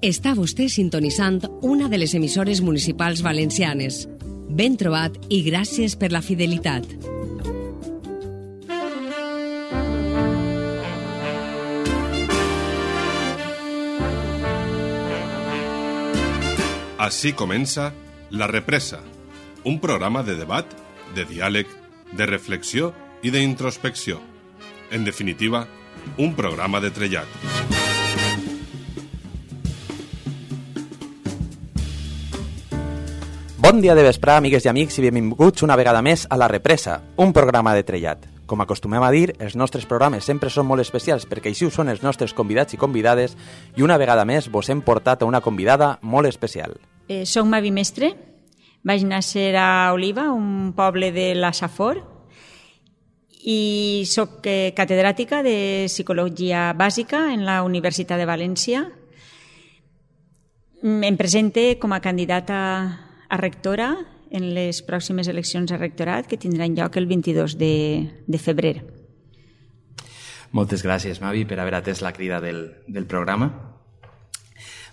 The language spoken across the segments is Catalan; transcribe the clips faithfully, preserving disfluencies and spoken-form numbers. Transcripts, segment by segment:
Està vostè sintonitzant una de les emissores municipals valencianes. Ben trobat i gràcies per la fidelitat. Així comença La Represa, un programa de debat, de diàleg, de reflexió i d'introspecció. En definitiva, un programa de trellat. Bon dia de vesprà, amigues i amics, i benvinguts una vegada més a La Represa, un programa de trellat. Com acostumem a dir, els nostres programes sempre són molt especials perquè així ho són els nostres convidats i convidades, i una vegada més vos hem portat a una convidada molt especial. Eh, soc Mavi Mestre, vaig néixer a Oliva, un poble de la Safor, i soc eh, catedràtica de Psicologia Bàsica en la Universitat de València. Em presente com a candidata a rectora en les pròximes eleccions a rectorat que tindran lloc el vint-i-dos de, de febrer. Moltes gràcies, Mavi, per haver atès la crida del, del programa.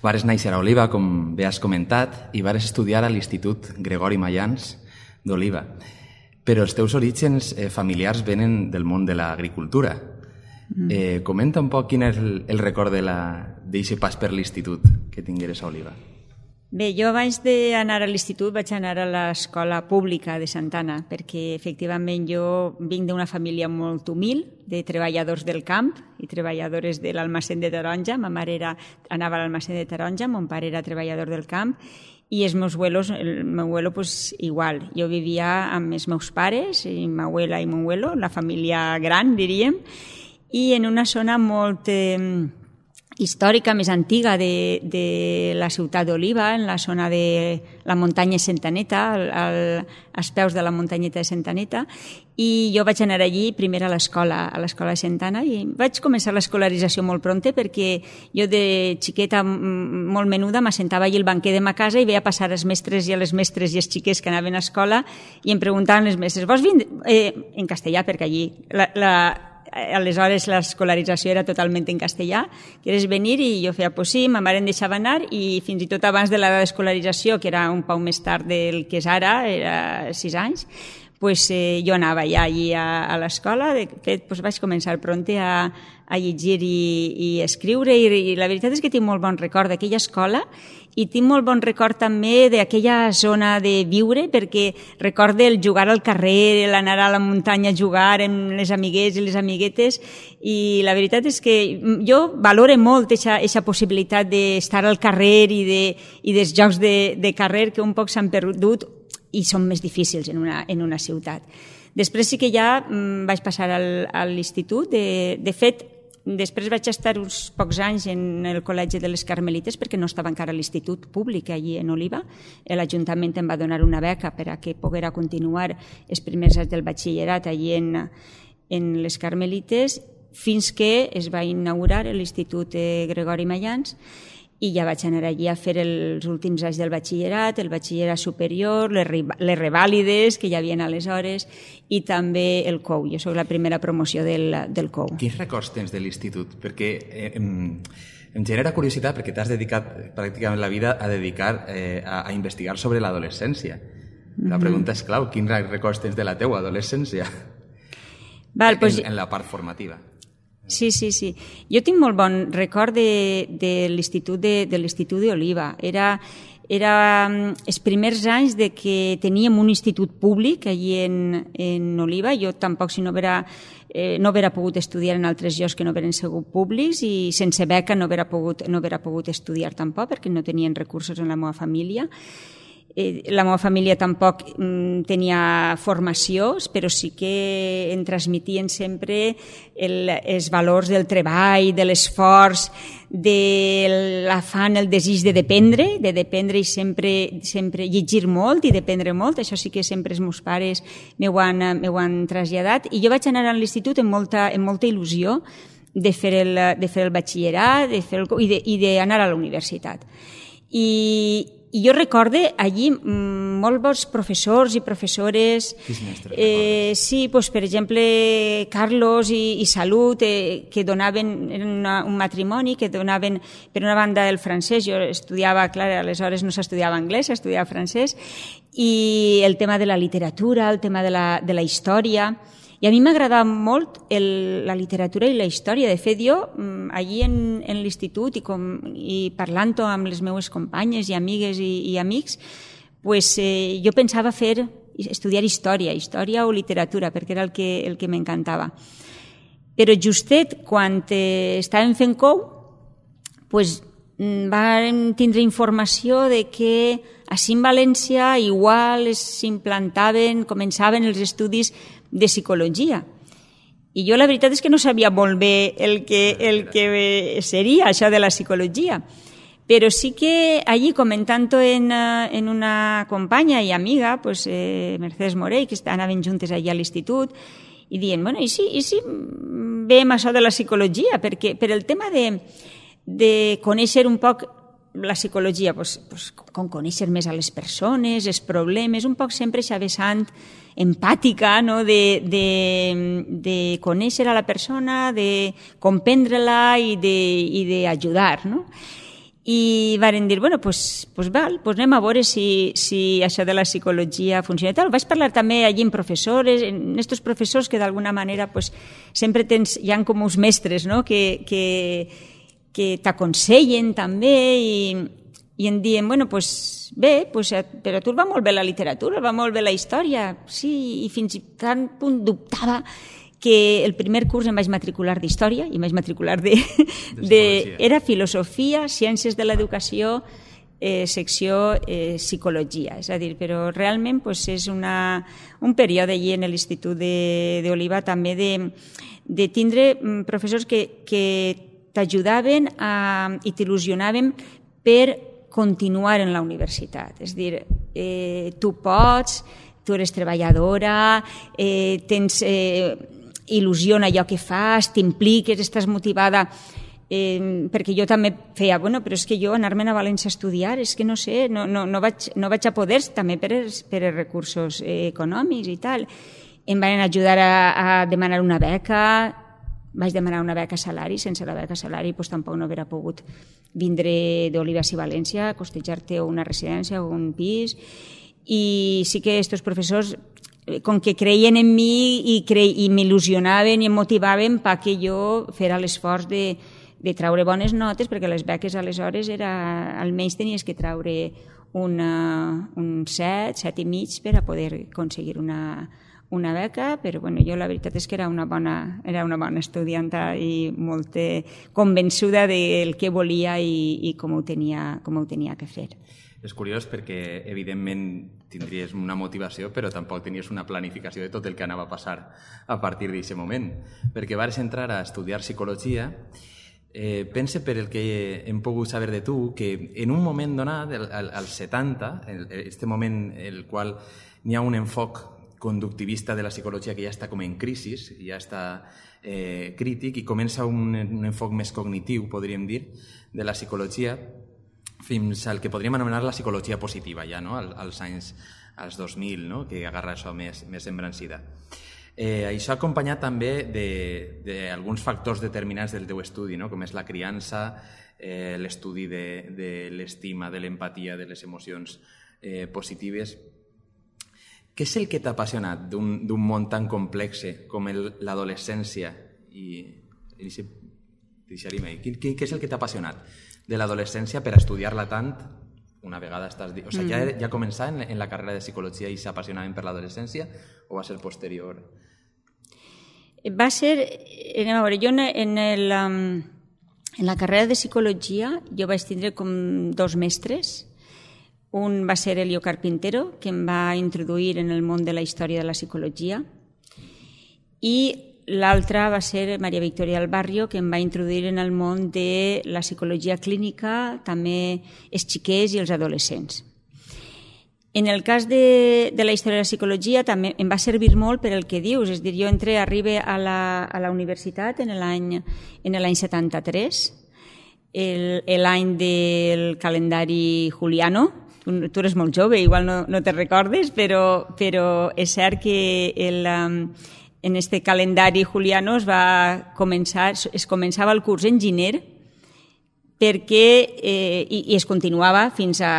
Vares néixer a Oliva, com bé has comentat, i vares estudiar a l'Institut Gregori Mayans d'Oliva. Però els teus orígens eh, familiars venen del món de l'agricultura. Mm. Eh, comenta un poc quin és el, el record d'aquest pas per l'institut que tingueres a Oliva. Bé, jo abans d'anar a l'institut vaig anar a l'escola pública de Santana, perquè efectivament jo vinc d'una família molt humil, de treballadors del camp i treballadores de l'almacén de taronja. Ma mare era, anava a l'almacén de taronja, mon pare era treballador del camp, i els meus abuelos, el meu abuelo pues, igual. Jo vivia amb els meus pares, i ma abuela i mon abuelo, la família gran, diríem, i en una zona molt eh, històrica, més antiga de, de la ciutat d'Oliva, en la zona de la muntanya Sentaneta, al, al, als peus de la muntanyeta de Sentaneta, i jo vaig anar allí primer a l'escola, a l'escola de Santana, i vaig començar l'escolarització molt pronte perquè jo de xiqueta molt menuda m'assentava allí al banquer de ma casa i veia passar els mestres i les mestres i els xiquets que anaven a escola i em preguntaven les mestres, vols vindre? Eh, en castellà, perquè allí la, la aleshores l'escolarització era totalment en castellà, quieres venir? I jo feia, pues sí, ma mare em deixava anar, i fins i tot abans de l'edat d'escolarització, que era un poc més tard del que és ara, era sis anys, pues, eh, jo anava ja allí a, a l'escola. De fet, pues, vaig començar pronte a, a llegir i, i escriure, i, i la veritat és que tinc molt bon record d'aquella escola, i tinc molt bon record també d'aquella zona de viure, perquè recordo el jugar al carrer, l'anar a la muntanya a jugar amb les amiguets i les amiguetes, i la veritat és que jo valoro molt aquesta possibilitat d'estar al carrer i, de, i dels jocs de, de carrer que un poc s'han perdut i són més difícils en una, en una ciutat. Després sí que ja mm, vaig passar al, a l'institut. De, de fet, després vaig estar uns pocs anys en el Col·legi de les Carmelites perquè no estava encara a l'institut públic allí en Oliva. L'Ajuntament em va donar una beca per a que poguera continuar els primers anys del batxillerat allí en, en les Carmelites, fins que es va inaugurar l'Institut Gregori Mayans, i ja vaig anar allí a fer els últims anys del batxillerat, el batxillerat superior, les, les revàlides que hi havia aleshores, i també el C O U. Jo soc la primera promoció del, del C O U. Quins records tens de l'institut? Perquè eh, em, em genera curiositat perquè t'has dedicat pràcticament la vida a dedicar eh, a, a investigar sobre l'adolescència. La pregunta és clau, quins records tens de la teua adolescència? Val, pues... en, en la part formativa. Sí, sí, sí. Jo tinc molt bon record de, de l'institut de, de l'institut d'Oliva. Era, era els primers anys de que teníem un institut públic allí en, en Oliva. Jo tampoc, si no haguera, eh, no haguera pogut estudiar en altres llocs que no hagueren sigut públics, i sense beca no haguera pogut, no haguera pogut estudiar tampoc, perquè no tenien recursos en la meva família. La meva família tampoc tenia formació, però sí que em transmetien sempre el, els valors del treball, de l'esforç, de l'afany, el desig de dependre, de dependre i sempre, sempre llegir molt i dependre molt. Això sí que sempre els meus pares m'ho han, m'ho han traslladat. I jo vaig anar a l'institut amb molta, amb molta il·lusió de fer el, de fer el batxillerat de fer el, i d'anar a la universitat. I i jo recorde allí molts bons professors i professores. Quins mestres eh, sí, doncs, per exemple, Carlos i, i Salut, eh, que donaven una, un matrimoni, que donaven, per una banda, el francès. Jo estudiava, clar, aleshores no s'estudiava anglès, s'estudiava francès, i el tema de la literatura, el tema de la, de la història. I a mi m'agradava molt el, la literatura i la història. De fet, jo, allí en, en l'institut i, com, i parlant-ho amb les meves companyes i amigues i, i amics, pues, eh, jo pensava fer, estudiar història, història o literatura, perquè era el que, el que m'encantava. Però justet, quan eh, estàvem fent cou, pues, vam tindre informació de que així en València igual s'implantaven, començaven els estudis de psicologia. I jo la veritat és que no sabia molt bé el que, el que seria això de la psicologia. Però sí que allí, comentant-ho en, en una companya i amiga, pues, eh, Mercedes Morell, que anaven juntes allà a l'institut, i dient, bueno, i si, i si veiem això de la psicologia? Perquè per el tema de, de conèixer un poc la psicologia, pues, pues, com conèixer més a les persones, els problemes, un poc sempre aquesta vessant empàtica, no? de, de, de conèixer a la persona, de comprendre-la i d'ajudar. No? I varen dir, bueno, pues, pues val, pues anem a veure si, si això de la psicologia funciona. Tal. Vaig parlar també allí amb professores, en aquests professors que d'alguna manera pues, sempre tens, hi ha com uns mestres, no? que, que, que t'aconsellen també i, i em diuen, bueno, pues bé, pues, però a tu va molt bé la literatura, va molt bé la història, sí, i fins i tant punt dubtava que el primer curs em vaig matricular d'història i em vaig matricular de... de, de era filosofia, ciències de l'educació, eh, secció eh, psicologia. És a dir, però realment pues, és una, un període allí en l'Institut d'Oliva també de, de tindre professors que, que t'ajudaven i t'il·lusionaven per continuar en la universitat. És a dir, eh, tu pots, tu eres treballadora, eh, tens... Eh, il·lusió en allò que fas, t'impliques, estàs motivada, eh, perquè jo també feia, bueno, però és que jo anar-me'n a València a estudiar, és que no sé, no, no, no, vaig, no vaig a poder, també per els, per els recursos eh, econòmics i tal. Em van ajudar a, a demanar una beca, vaig demanar una beca salari, sense la beca salari doncs tampoc no hauria pogut vindre d'Olives i València, costejar-te una residència o un pis, i sí que aquests professors com que creien en mi i, cre... i m'il·lusionaven i em motivaven perquè jo fera l'esforç de, de traure bones notes, perquè les beques aleshores era, almenys tenies que traure una, un set, set i mig per a poder aconseguir una, una beca, però bueno, jo la veritat és que era una bona, era una bona estudianta i molt convençuda del que volia i, i com, ho tenia, com ho tenia que fer. És curiós perquè, evidentment, tindries una motivació, però tampoc tenies una planificació de tot el que anava a passar a partir d'aquest moment. Perquè vas entrar a estudiar psicologia, eh, pense per el que hem pogut saber de tu, que en un moment donat, als setanta, en aquest moment en el qual n'hi ha un enfoc conductivista de la psicologia que ja està com en crisi, ja està eh, crític, i comença un, un enfoc més cognitiu, podríem dir, de la psicologia, fins al que podríem anomenar la psicologia positiva, ja, no? als anys als dos mil, no? Que agarra això més, més embrancida. Eh, això acompanyat també d'alguns factors determinants del teu estudi, no? Com és la criança, eh, l'estudi de, de l'estima, de l'empatia, de les emocions eh, positives. Què és el que t'ha apassionat d'un món tan complex com l'adolescència? I, i què, què és el que t'ha apassionat de l'adolescència per estudiar-la tant una vegada estàs... O sigui, ja, ja començar en, en la carrera de psicologia i s'apassionaven per l'adolescència o va ser posterior? Va ser... Anem a veure, jo en, el, en la carrera de psicologia jo vaig tindre com dos mestres. Un va ser Elio Carpintero, que em va introduir en el món de la història de la psicologia, i l'altra va ser Maria Victoria del Barrio, que em va introduir en el món de la psicologia clínica, també els xiquets i els adolescents. En el cas de, de la història de la psicologia també em va servir molt per el que dius, és a dir, jo entré, arribe a la, a la universitat en l'any setanta-tres, l'any del calendari juliano, tu, tu eres molt jove, igual no, no te recordes, però, però és cert que el, um, en este calendari juliano es va començar, es començava el curs en gener, perquè, eh, i, i es continuava fins a,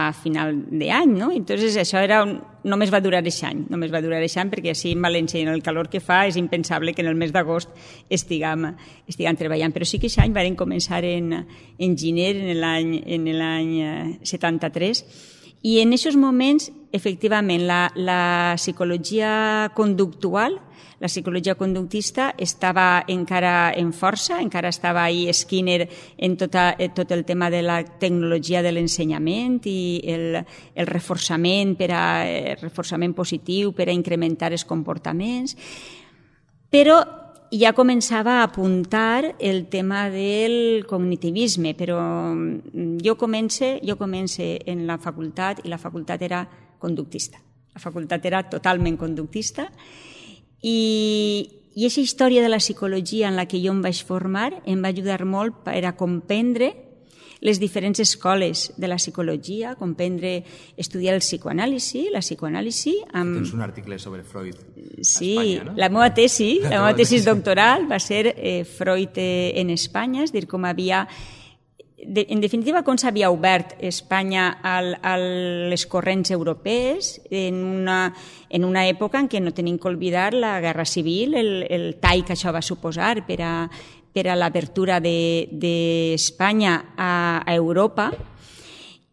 a final d'any, no? Entonces això era un, només va durar aquest any, només va durar aquest any perquè així en València, en el calor que fa, és impensable que en el mes d'agost estiguem, estiguem treballant. Però sí que aquest any van començar en, en gener, en l'any en l'any setanta-tres, i en aquests moments, efectivament, la, la psicologia conductual, la psicologia conductista estava encara en força, encara estava ahí Skinner en tota, tot el tema de la tecnologia de l'ensenyament i el, el reforçament, per a, el reforçament positiu per a incrementar els comportaments, però ja començava a apuntar el tema del cognitivisme, però jo comence, jo comence en la facultat i la facultat era conductista. La facultat era totalment conductista i i aquesta història de la psicologia en la que jo em vaig formar em va ajudar molt per a comprendre les diferents escoles de la psicologia, comprendre, estudiar el psicoanàlisi, la psicoanàlisi... Amb... Tens un article sobre Freud a sí, Espanya, no? La meva tesi, la, la meva tesi doctoral va ser eh, Freud eh, en Espanya, és dir, com havia... De, en definitiva, com s'havia obert Espanya al, a les corrents europees en una, en una època en què no tenim que oblidar la guerra civil, el, el tall que això va suposar per a, per a l'apertura d'Espanya de, a, a Europa,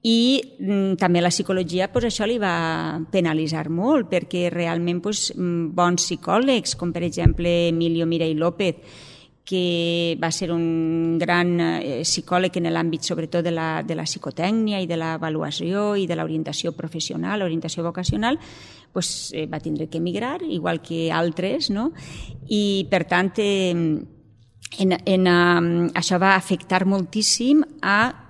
i mm, també la psicologia pues, això li va penalitzar molt, perquè realment pues, bons psicòlegs, com per exemple Emilio Miray López, que va ser un gran eh, psicòleg en l'àmbit sobretot de la, de la psicotècnia i de l'avaluació i de l'orientació professional, orientació vocacional, pues, eh, va tindre que emigrar, igual que altres, no? I per tant eh, en, en, eh, això va afectar moltíssim a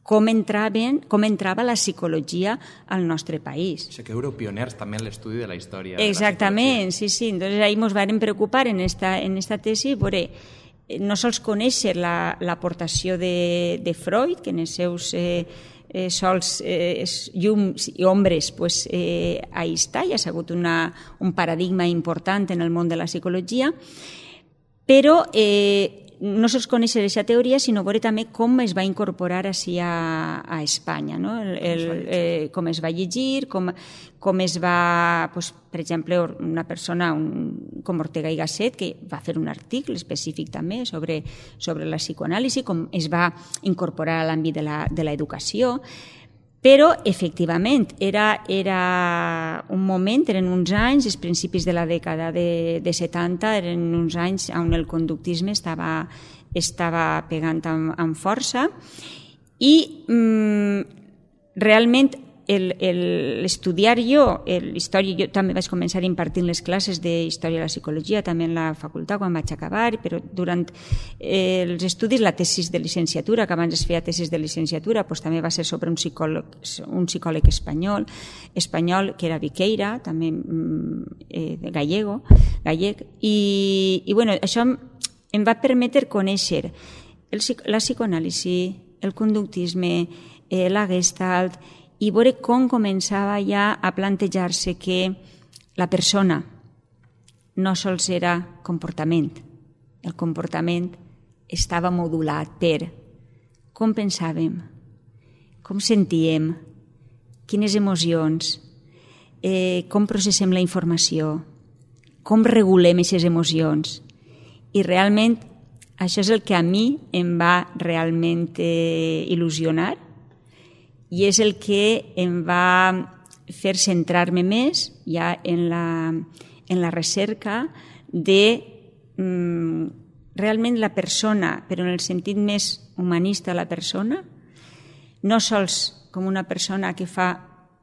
com, entraven, com entrava la psicologia al nostre país. O sigui que éreu pioners també en l'estudi de la història. Exactament, sí, sí. Entonces ahí ens vam preocupar en esta, en esta tesi, veure, no sols conèixer l'aportació la, de, de Freud, que en els seus eh, eh, sols eh, llums i ombres, pues, eh, ahí està, ja ha sigut una, un paradigma important en el món de la psicologia, però eh, no sols conèixer aquesta teoria, sinó veure també com es va incorporar així a, a Espanya, no? el, el, eh, com es va llegir, com, com es va, pues, per exemple, una persona un, com Ortega i Gasset, que va fer un article específic també sobre, sobre la psicoanàlisi, com es va incorporar a l'àmbit de l'educació. Però, efectivament, era, era un moment, eren uns anys, els principis de la dècada de, de setanta, eren uns anys on el conductisme estava, estava pegant amb, amb força i mm, realment l'estudiar jo, l'història, jo també vaig començar impartint les classes d'història de la psicologia, també en la facultat quan vaig acabar, però durant eh, els estudis, la tesis de licenciatura, que abans es feia tesis de licenciatura, doncs també va ser sobre un psicòleg, un psicòleg espanyol, espanyol que era Viqueira, també eh, gallego, gallec, i, i bueno, això em, em va permetre conèixer el, la psicoanàlisi, el conductisme, eh, la gestalt, i veure com començava ja a plantejar-se que la persona no sols era comportament. El comportament estava modulat per com pensàvem, com sentíem, quines emocions, eh, com processem la informació, com regulem aquestes emocions. I realment això és el que a mi em va realment eh, il·lusionar, i és el que em va fer centrar-me més ja en la, en la recerca de mm, realment la persona, però en el sentit més humanista de la persona, no sols com una persona que fa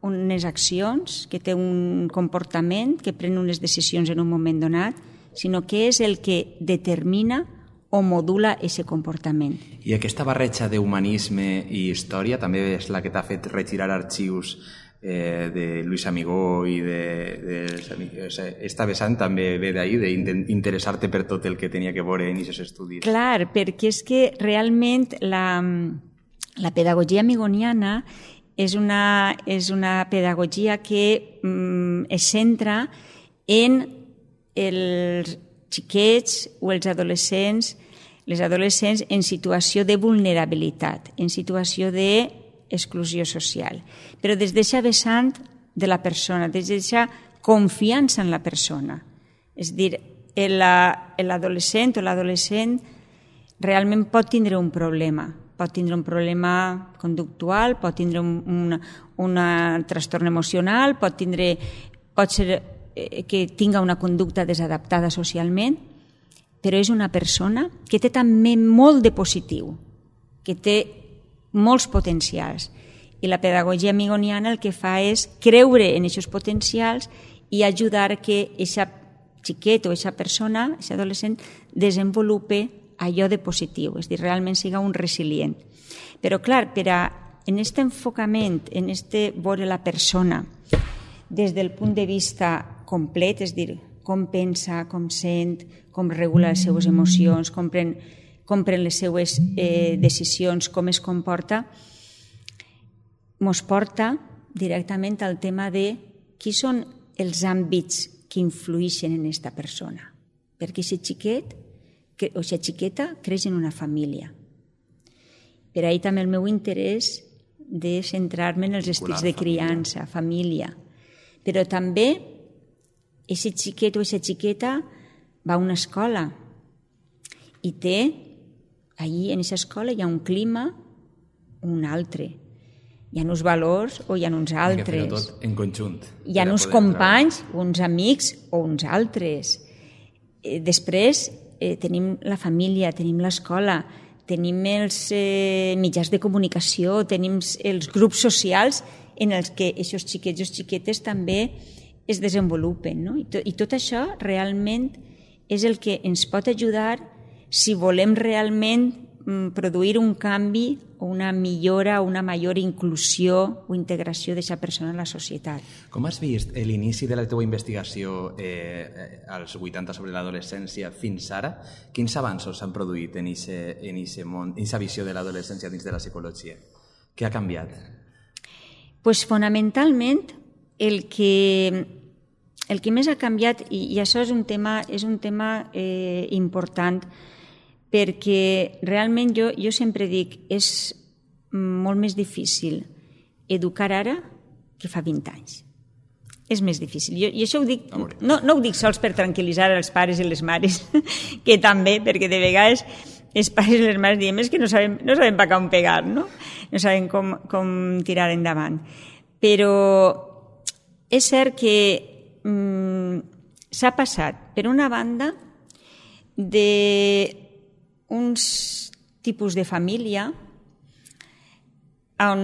unes accions, que té un comportament, que pren unes decisions en un moment donat, sinó que és el que determina o modula aquest comportament. I aquesta barreja d'humanisme i història també és la que t'ha fet regirar arxius eh, de Luis Amigó i de... de, de esta vessant també ve d'ahir, d'interessar-te per tot el que tenia que veure en aquests estudis. Clar, perquè és que realment la, la pedagogia amigoniana és una, és una pedagogia que mm, es centra en els xiquets o els adolescents, les adolescents en situació de vulnerabilitat, en situació d'exclusió social, però des d'aquesta vessant de la persona, des d'aquesta confiança en la persona. És a dir, l'adolescent o l'adolescent realment pot tindre un problema, pot tindre un problema conductual, pot tindre un, un, un trastorn emocional, pot, tindre, pot ser que tinga una conducta desadaptada socialment, però és una persona que té també molt de positiu, que té molts potencials. I la pedagogia amigoniana el que fa és creure en aquests potencials i ajudar que aquest xiquet o aquesta persona, aquest adolescent, desenvolupe allò de positiu, és a dir, realment siga un resilient. Però, clar, per a, en aquest enfocament, en aquest veure la persona des del punt de vista complet, és a dir, com pensa, com sent, com regula les seues emocions, com pren, com pren les seues eh, decisions, com es comporta, ens porta directament al tema de qui són els àmbits que influeixen en aquesta persona. Perquè aquest xiquet o aquesta xiqueta creix en una família. Per ahir també el meu interès de centrar-me en els estils de criança, família. Però també aquest xiquet o aquesta xiqueta va a una escola i té, allí en aquesta escola hi ha un clima o un altre. Hi ha uns valors o hi ha uns altres. Hay que fer-ho tot en conjunt. Hi ha uns companys, uns amics o uns altres. Després eh, tenim la família, tenim l'escola, tenim els eh, mitjans de comunicació, tenim els grups socials en els que aquests xiquets i xiquetes també es desenvolupen. No? I, to, I tot això realment és el que ens pot ajudar si volem realment produir un canvi o una millora o una major inclusió o integració d'aquesta persona en la societat. Com has vist l'inici de la teva investigació eh, als vuitanta sobre l'adolescència fins ara? Quins avanços s'han produït en aquesta visió de l'adolescència dins de la psicologia? Què ha canviat? Pues, fonamentalment, el que, el que més ha canviat, i, i això és un tema, és un tema eh, important, perquè realment jo, jo sempre dic és molt més difícil educar ara que fa vint anys. És més difícil. Jo, I això ho dic, no, no ho dic sols per tranquil·litzar els pares i les mares, que també, perquè de vegades els pares i les mares diem és que no sabem, no sabem per on pegar, no? No sabem com, com tirar endavant. Però és cert que mm, s'ha passat, per una banda, de uns tipus de família on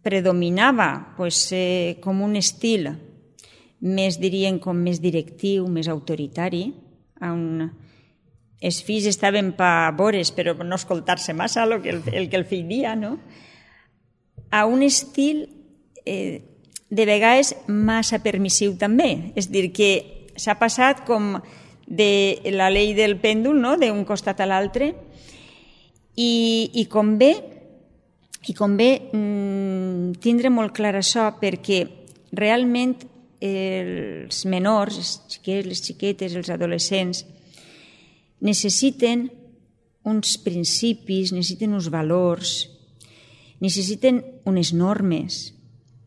predominava pues, eh, com un estil més, dirien, com més directiu, més autoritari, on els fills estaven per vores però no escoltar-se massa el que el, el que el fill dia, no? A un estil eh, de vegades massa permissiu també, és a dir, que s'ha passat com de la llei del pèndol, no? D'un costat a l'altre, i, i convé, i convé mm, tindre molt clar això, perquè realment els menors, els xiquets, les xiquetes, els adolescents, necessiten uns principis, necessiten uns valors, necessiten unes normes.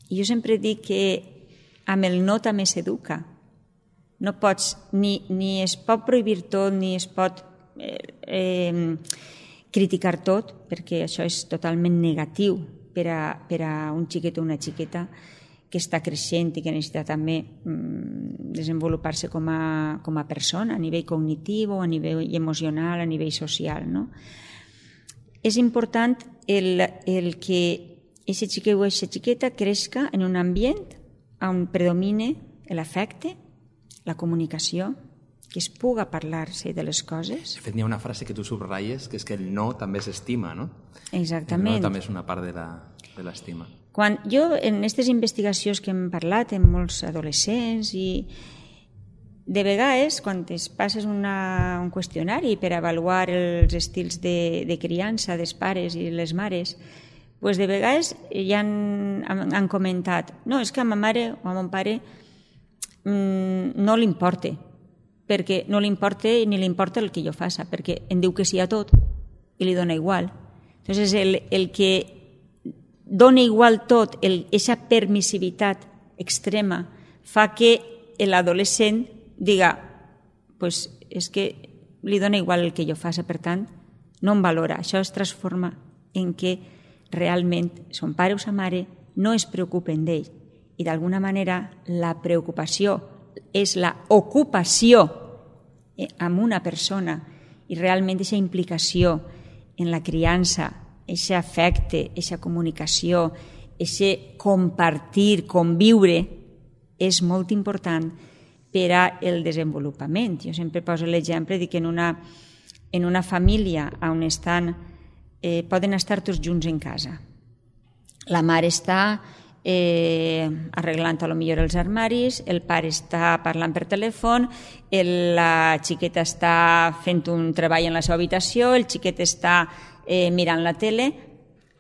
I jo sempre dic que amb el no també s'educa. No pots, ni, ni es pot prohibir tot, ni es pot eh, eh, criticar tot, perquè això és totalment negatiu per a, per a un xiquet o una xiqueta que està creixent i que necessita també mm, desenvolupar-se com a, com a persona, a nivell cognitiu, a nivell emocional, a nivell social. No? És important el, el que aquest xiquet o aquesta xiqueta creixca en un ambient on predomine l'afecte, la comunicació, que es puga parlar-se de les coses. De fet, hi ha una frase que tu subratlles, que és que el no també s'estima, no? Exactament. El no també és una part de l'estima. Quan jo, en aquestes investigacions que hem parlat amb molts adolescents, i de vegades, quan es passes una, un qüestionari per avaluar els estils de, de criança dels pares i les mares, pues de vegades ja han, han comentat no, és que a ma mare o a mon pare mmm, no li importa, perquè no li importa ni li importa el que jo faça, perquè em diu que sí a tot i li dona igual. Entonces, el, el que dona igual tot, aquesta permissivitat extrema, fa que l'adolescent diga pues és que li dona igual el que jo faça, per tant, no em valora. Això es transforma en que realment son pare o sa mare no es preocupen d'ell. I d'alguna manera la preocupació és la ocupació amb una persona i realment aquesta implicació en la criança, aquest afecte, aquesta comunicació, aquest compartir, conviure, és molt important per al desenvolupament. Jo sempre poso l'exemple de que en una, en una família on estan, eh, poden estar tots junts en casa. La mare està eh, arreglant a lo millor els armaris, el pare està parlant per telèfon, el, la xiqueta està fent un treball en la seva habitació, el xiquet està eh, mirant la tele.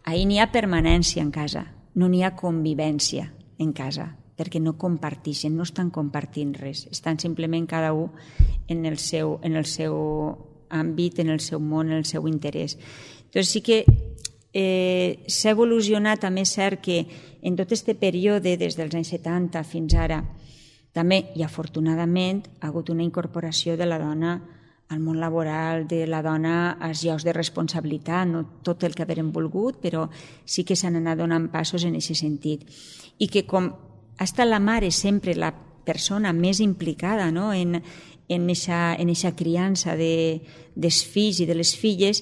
Ahí n'hi ha permanència en casa, no n'hi ha convivència en casa, perquè no comparteixen, no estan compartint res, estan simplement cada un en el seu, en el seu àmbit, en el seu món, en el seu interès. Entonces sí que eh, s'ha evolucionat, també és cert que en tot aquest període, des dels anys setanta fins ara, també, i afortunadament, ha hagut una incorporació de la dona al món laboral, de la dona als llocs de responsabilitat, no tot el que haguem volgut, però sí que s'han anat donant passos en aquest sentit. I que com ha estat la mare sempre la persona més implicada, no? en aquesta criança de, dels fills i de les filles,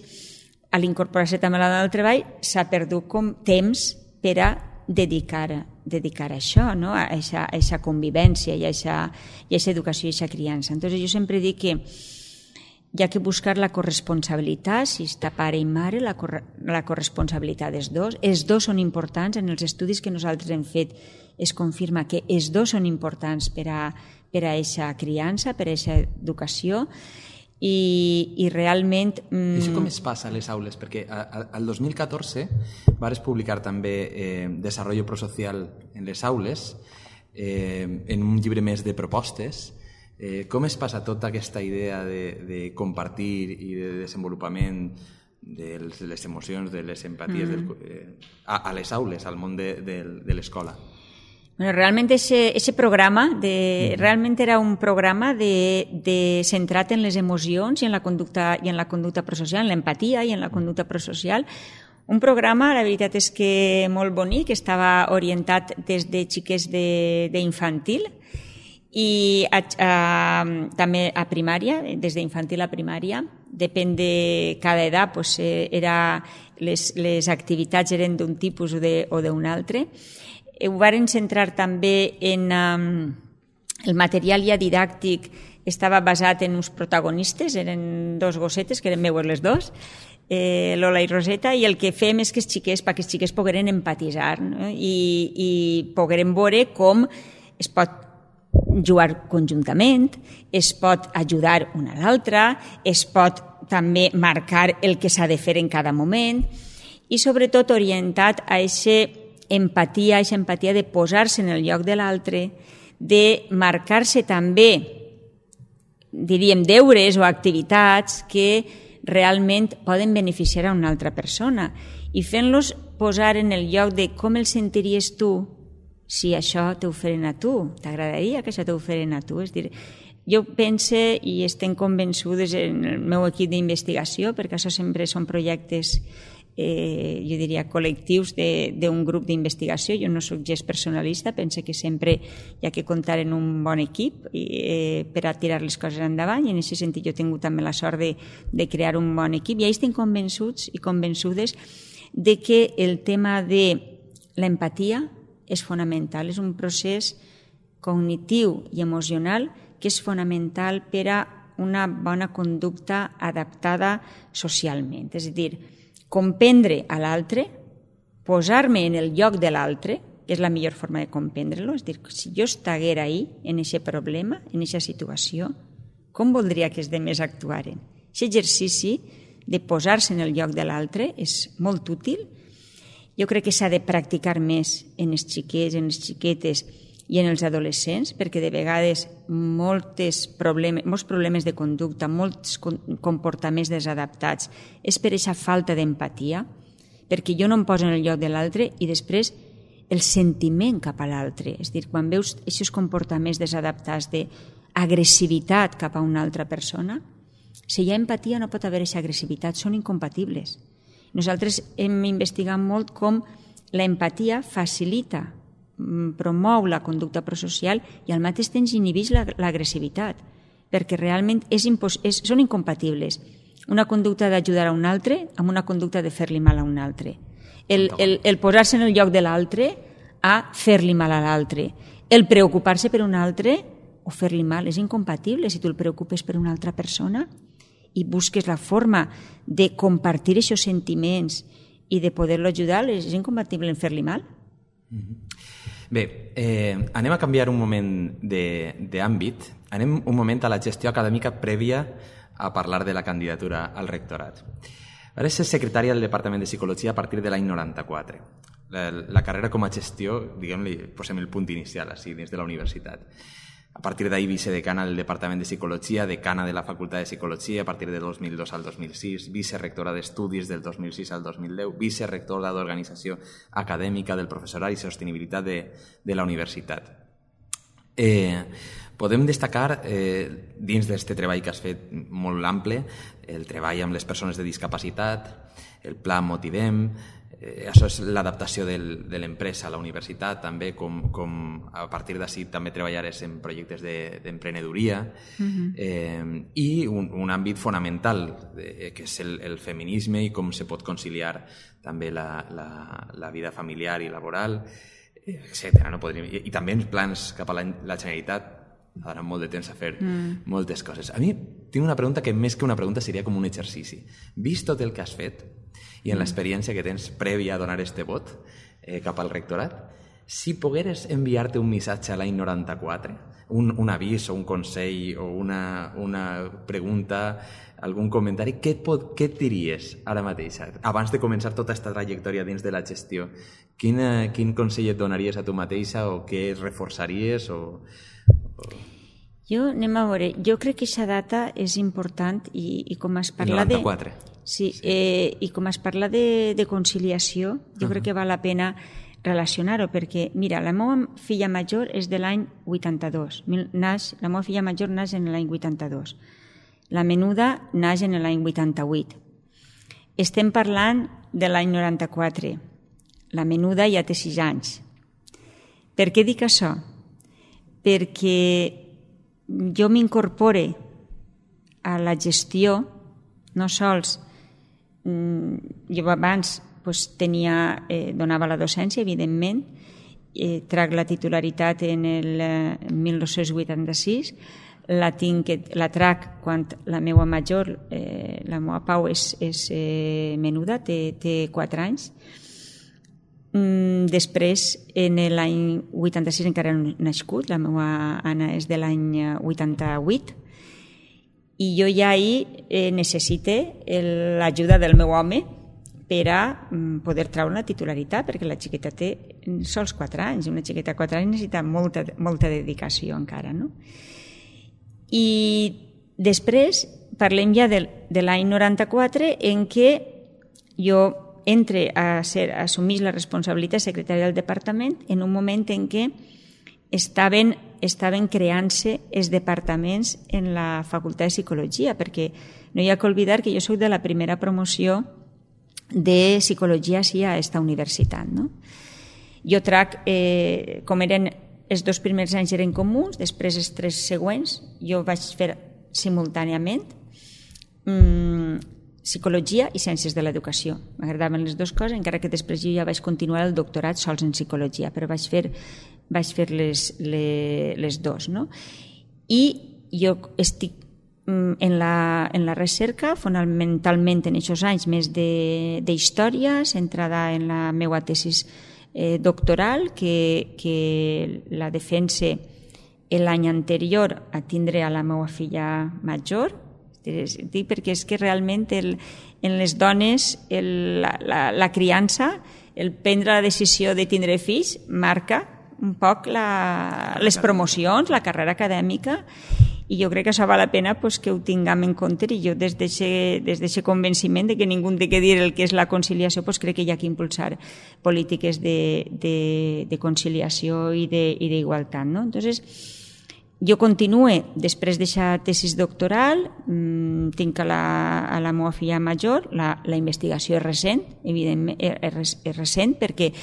a l'incorporar-se també a la dona del treball, s'ha perdut com temps per a dedicar, dedicar a això, no? a aquesta convivència i a aquesta educació i a aquesta criança. Entonces, jo sempre dic que hi ha que buscar la corresponsabilitat, si està pare i mare, la, cor la corresponsabilitat dels dos. Els dos són importants, en els estudis que nosaltres hem fet es confirma que els dos són importants per a per a aquesta criança, per a aquesta educació, i, i realment... Mm... Això com es passa a les aules? Perquè al dos mil catorze vares publicar també eh, Desarrollo Prosocial en les aules, eh, en un llibre més de propostes. Eh, com es passa tota aquesta idea de, de compartir i de desenvolupament de les emocions, de les empaties mm. del, eh, a, a les aules, al món de, de, de l'escola? Bueno, realment ese, ese programa de, realment era un programa de, de centrat en les emocions i en la conducta, i en la conducta prosocial, en l'empatia i en la conducta prosocial. Un programa, la veritat és que molt bonic, que estava orientat des de xiquets d'infantil i a, a, també a primària, des d'infantil a primària. Depèn de cada edat, pues, era, les, les activitats eren d'un tipus o d'un altre. Ho varen centrar també en um, el material ja didàctic, estava basat en uns protagonistes, eren dos gossetes, que eren meues les dos, eh, Lola i Roseta, i el que fem és que els xiquets, perquè els xiquets pogueren empatitzar, no? I, i pogueren veure com es pot jugar conjuntament, es pot ajudar un a l'altre, es pot també marcar el que s'ha de fer en cada moment, i sobretot orientat a aquest empatia, aquesta empatia de posar-se en el lloc de l'altre, de marcar-se també, diríem, deures o activitats que realment poden beneficiar a una altra persona i fent-los posar en el lloc de com el sentiries tu si això t'ho feren a tu. T'agradaria que això t'ho feren a tu? És dir, jo pense i estem convençudes en el meu equip d'investigació, perquè això sempre són projectes Eh, jo diria col·lectius d'un grup d'investigació. Jo no soc gens personalista, pense que sempre hi ha que comptar en un bon equip eh, per a tirar les coses endavant, i en aquest sentit jo he tingut també la sort de, de crear un bon equip, i ells estem convençuts i convençudes de que el tema de l'empatia és fonamental, és un procés cognitiu i emocional que és fonamental per a una bona conducta adaptada socialment. És a dir, comprendre a l'altre, posar-me en el lloc de l'altre, que és la millor forma de comprendre-lo, és a dir, si jo estiguera ahí, en aquest problema, en aquesta situació, com voldria que els demés actuaren? Aquest exercici de posar-se en el lloc de l'altre és molt útil, Jo crec que s'ha de practicar més en els xiquets, en les xiquetes i en els adolescents, perquè de vegades molts problemes, molts problemes de conducta, molts comportaments desadaptats, és per aquesta falta d'empatia, perquè jo no em poso en el lloc de l'altre i després el sentiment cap a l'altre. És a dir, quan veus aquests comportaments desadaptats d'agressivitat cap a una altra persona, si hi ha empatia no pot haver aquesta agressivitat, són incompatibles. Nosaltres hem investigat molt com l'empatia facilita, promou la conducta prosocial i al mateix temps inhibeix l'agressivitat, perquè realment és impos- és, són incompatibles. Una conducta d'ajudar a un altre amb una conducta de fer-li mal a un altre. El, el, el posar-se en el lloc de l'altre a fer-li mal a l'altre. El preocupar-se per un altre o fer-li mal és incompatible. Si tu el preocupes per una altra persona i busques la forma de compartir aquests sentiments i de poder-lo ajudar, és incompatible en fer-li mal. Mm-hmm. Bé, eh, anem a canviar un moment d'àmbit. Anem un moment a la gestió acadèmica prèvia a parlar de la candidatura al rectorat. Ara és secretària del Departament de Psicologia a partir de l'any noranta-quatre. La, la carrera com a gestió, diguem-li, posem el punt inicial, així, dins de la universitat. A partir d'ahir vicedecana del Departament de Psicologia, decana de la Facultat de Psicologia a partir del dos mil dos al dos mil sis, vicerectora d'Estudis del dos mil sis al dos mil deu, vicerectora d'Organització Acadèmica del Professorat i Sostenibilitat de, de la Universitat. Eh, podem destacar, eh, dins d'aquest treball que has fet molt ample, el treball amb les persones de discapacitat, el pla Motivem, Eh, això és l'adaptació del, de l'empresa a la universitat, també com, com a partir d'ací també treballaràs en projectes d'emprenedoria de, uh-huh. eh, i un, un àmbit fonamental eh, que és el, el feminisme i com se pot conciliar també la, la, la vida familiar i laboral, etcètera. No podríem... I, I també els plans cap a la, la Generalitat ara molt de temps a fer mm. moltes coses. A mi tinc una pregunta que més que una pregunta seria com un exercici. Vist tot el que has fet i en l'experiència que tens prèvia a donar este vot eh, cap al rectorat, si pogueres enviar-te un missatge a l'any noranta-quatre, un, un avís o un consell o una, una pregunta, algun comentari, què et, pot, què et diries ara mateix? Abans de començar tota aquesta trajectòria dins de la gestió, quin, quin consell et donaries a tu mateixa o què reforçaries? O, o... Jo, anem a veure, jo crec que aquesta data és important i, i com es parla de... noranta-quatre. Sí, sí. Eh, i com es parla de, de conciliació, jo uh-huh. crec que val la pena relacionar-ho, perquè, mira, la meva filla major és de l'any vuitanta-dos. Naix, la meva filla major naix en l'any vuitanta-dos. La menuda naix en l'any vuitanta-vuit. Estem parlant de l'any noranta-quatre. La menuda ja té sis anys. Per què dic això? Perquè jo m'incorpore a la gestió, no sols jo abans pues, tenia, eh, donava la docència, evidentment, eh, trac la titularitat en el eh, mil nou-cents vuitanta-sis, la, tinc, la trac quan la meva major, eh, la meva Pau, és, és eh, menuda, té, té quatre anys. Mm, després, en l'any vuitanta-sis encara no he nascut, la meva Anna és de l'any vuitanta-vuit, i jo ja ahir eh, necessite l'ajuda del meu home per a mm, poder treure la titularitat, perquè la xiqueta té sols quatre anys, una xiqueta de quatre anys necessita molta, molta dedicació encara, no? I després parlem ja de, de l'any noranta-quatre, en què jo entre a, ser, a assumir la responsabilitat secretària del departament en un moment en què estaven, estaven creant-se els departaments en la Facultat de Psicologia, perquè no hi ha que oblidar que jo soc de la primera promoció de Psicologia sí, a aquesta universitat. No? Jo trac, eh, com eren els dos primers anys eren comuns, després els tres següents jo vaig fer simultàniament mmm, Psicologia i Ciències de l'Educació. M'agradaven les dues coses, encara que després jo ja vaig continuar el doctorat sols en Psicologia, però vaig fer, vaig fer les, les, les dues. No? I jo estic en la, en la recerca, fonamentalment en aquests anys més d'història, centrada en la meva tesis eh, doctoral, que, que la defense l'any anterior a tindre a la meva filla major. Dic perquè és que realment el, en les dones el, la, la, la criança el prendre la decisió de tindre fills marca un poc la, les promocions, la carrera acadèmica, i jo crec que això val la pena pues, que ho tinguem en compte, i jo des d'aquest convenciment de que ningú té que dir el que és la conciliació, pues, crec que hi ha que impulsar polítiques de, de, de conciliació i d'igualtat. No? Entonces, jo continue, després d'aquesta tesis doctoral, mmm, tinc a la, a la meva filla major, la, la investigació és recent, evidentment és, és recent perquè,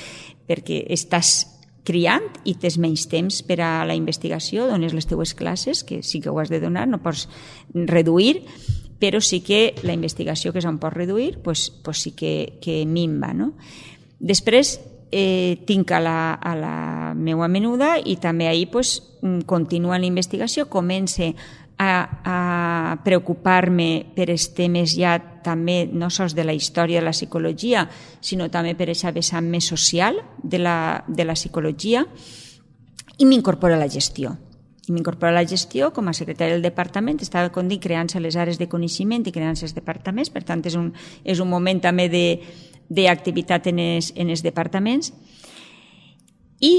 perquè estàs criant i tens menys temps per a la investigació, dones les teues classes, que sí que ho has de donar, no pots reduir, però sí que la investigació que se'n pot reduir, pues, pues sí que, que minva. No? Després eh, tinc a la, a la meva menuda i també ahir pues, continua la investigació, comença a, a preocupar-me per els temes ja també no sols de la història de la psicologia, sinó també per aquesta vessant més social de la, de la psicologia, i m'incorpora a la gestió. I m'incorpora a la gestió com a secretària del departament, estava, com dic, creant-se les àrees de coneixement i creant-se els departaments, per tant és un, és un moment també d'activitat en, en els departaments. I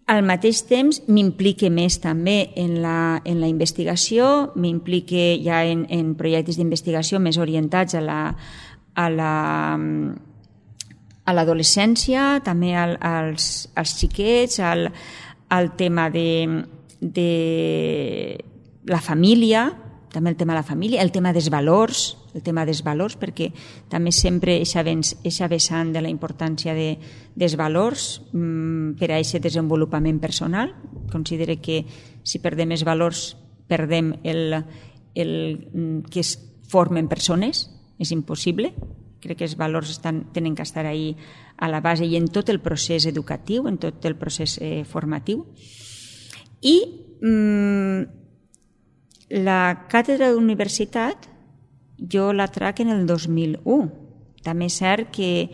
al mateix temps m'implique més també en la, en la investigació, m'implique ja en, en projectes d'investigació més orientats a la, a la, a l'adolescència, també al, als, als xiquets, al, al tema de, de la família, també el tema de la família, el tema dels valors, el tema dels valors, perquè també sempre eixa vessant de la importància de, dels valors mmm, per a aquest desenvolupament personal. Considero que si perdem els valors, perdem el, el que es formen persones, és impossible. Crec que els valors estan, tenen que estar ahí a la base i en tot el procés educatiu, en tot el procés eh, formatiu. I mmm, la càtedra d'universitat jo la trac en el dos mil u. També és cert que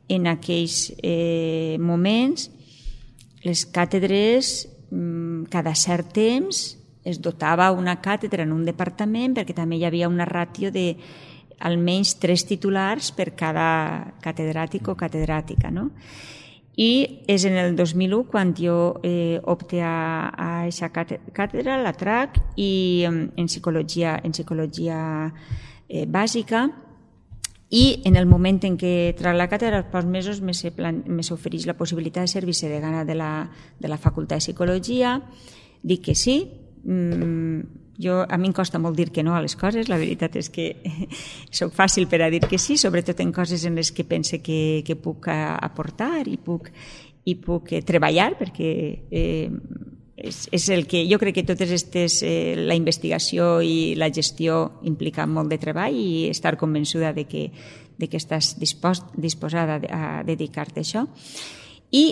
en aquells eh, moments les càtedres cada cert temps es dotava una càtedra en un departament perquè també hi havia una ràtio de almenys tres titulars per cada catedràtic o catedràtica, no? I és en el dos mil u quan jo eh, opte a aquesta càtedra, la trac, i en psicologia, en psicologia eh, bàsica, i en el moment en què trac la càtedra, als pocs mesos m'ofereix la possibilitat de ser vicedegana de la, de la Facultat de Psicologia. Dic que sí. Mm, jo, a mi em costa molt dir que no a les coses, la veritat és que soc fàcil per a dir que sí, sobretot en coses en les que pense que, que puc aportar i puc, i puc treballar, perquè eh, és, és el que jo crec que totes aquestes, eh, la investigació i la gestió impliquen molt de treball, i estar convençuda de que, de que estàs dispost, disposada a dedicar-te a això. I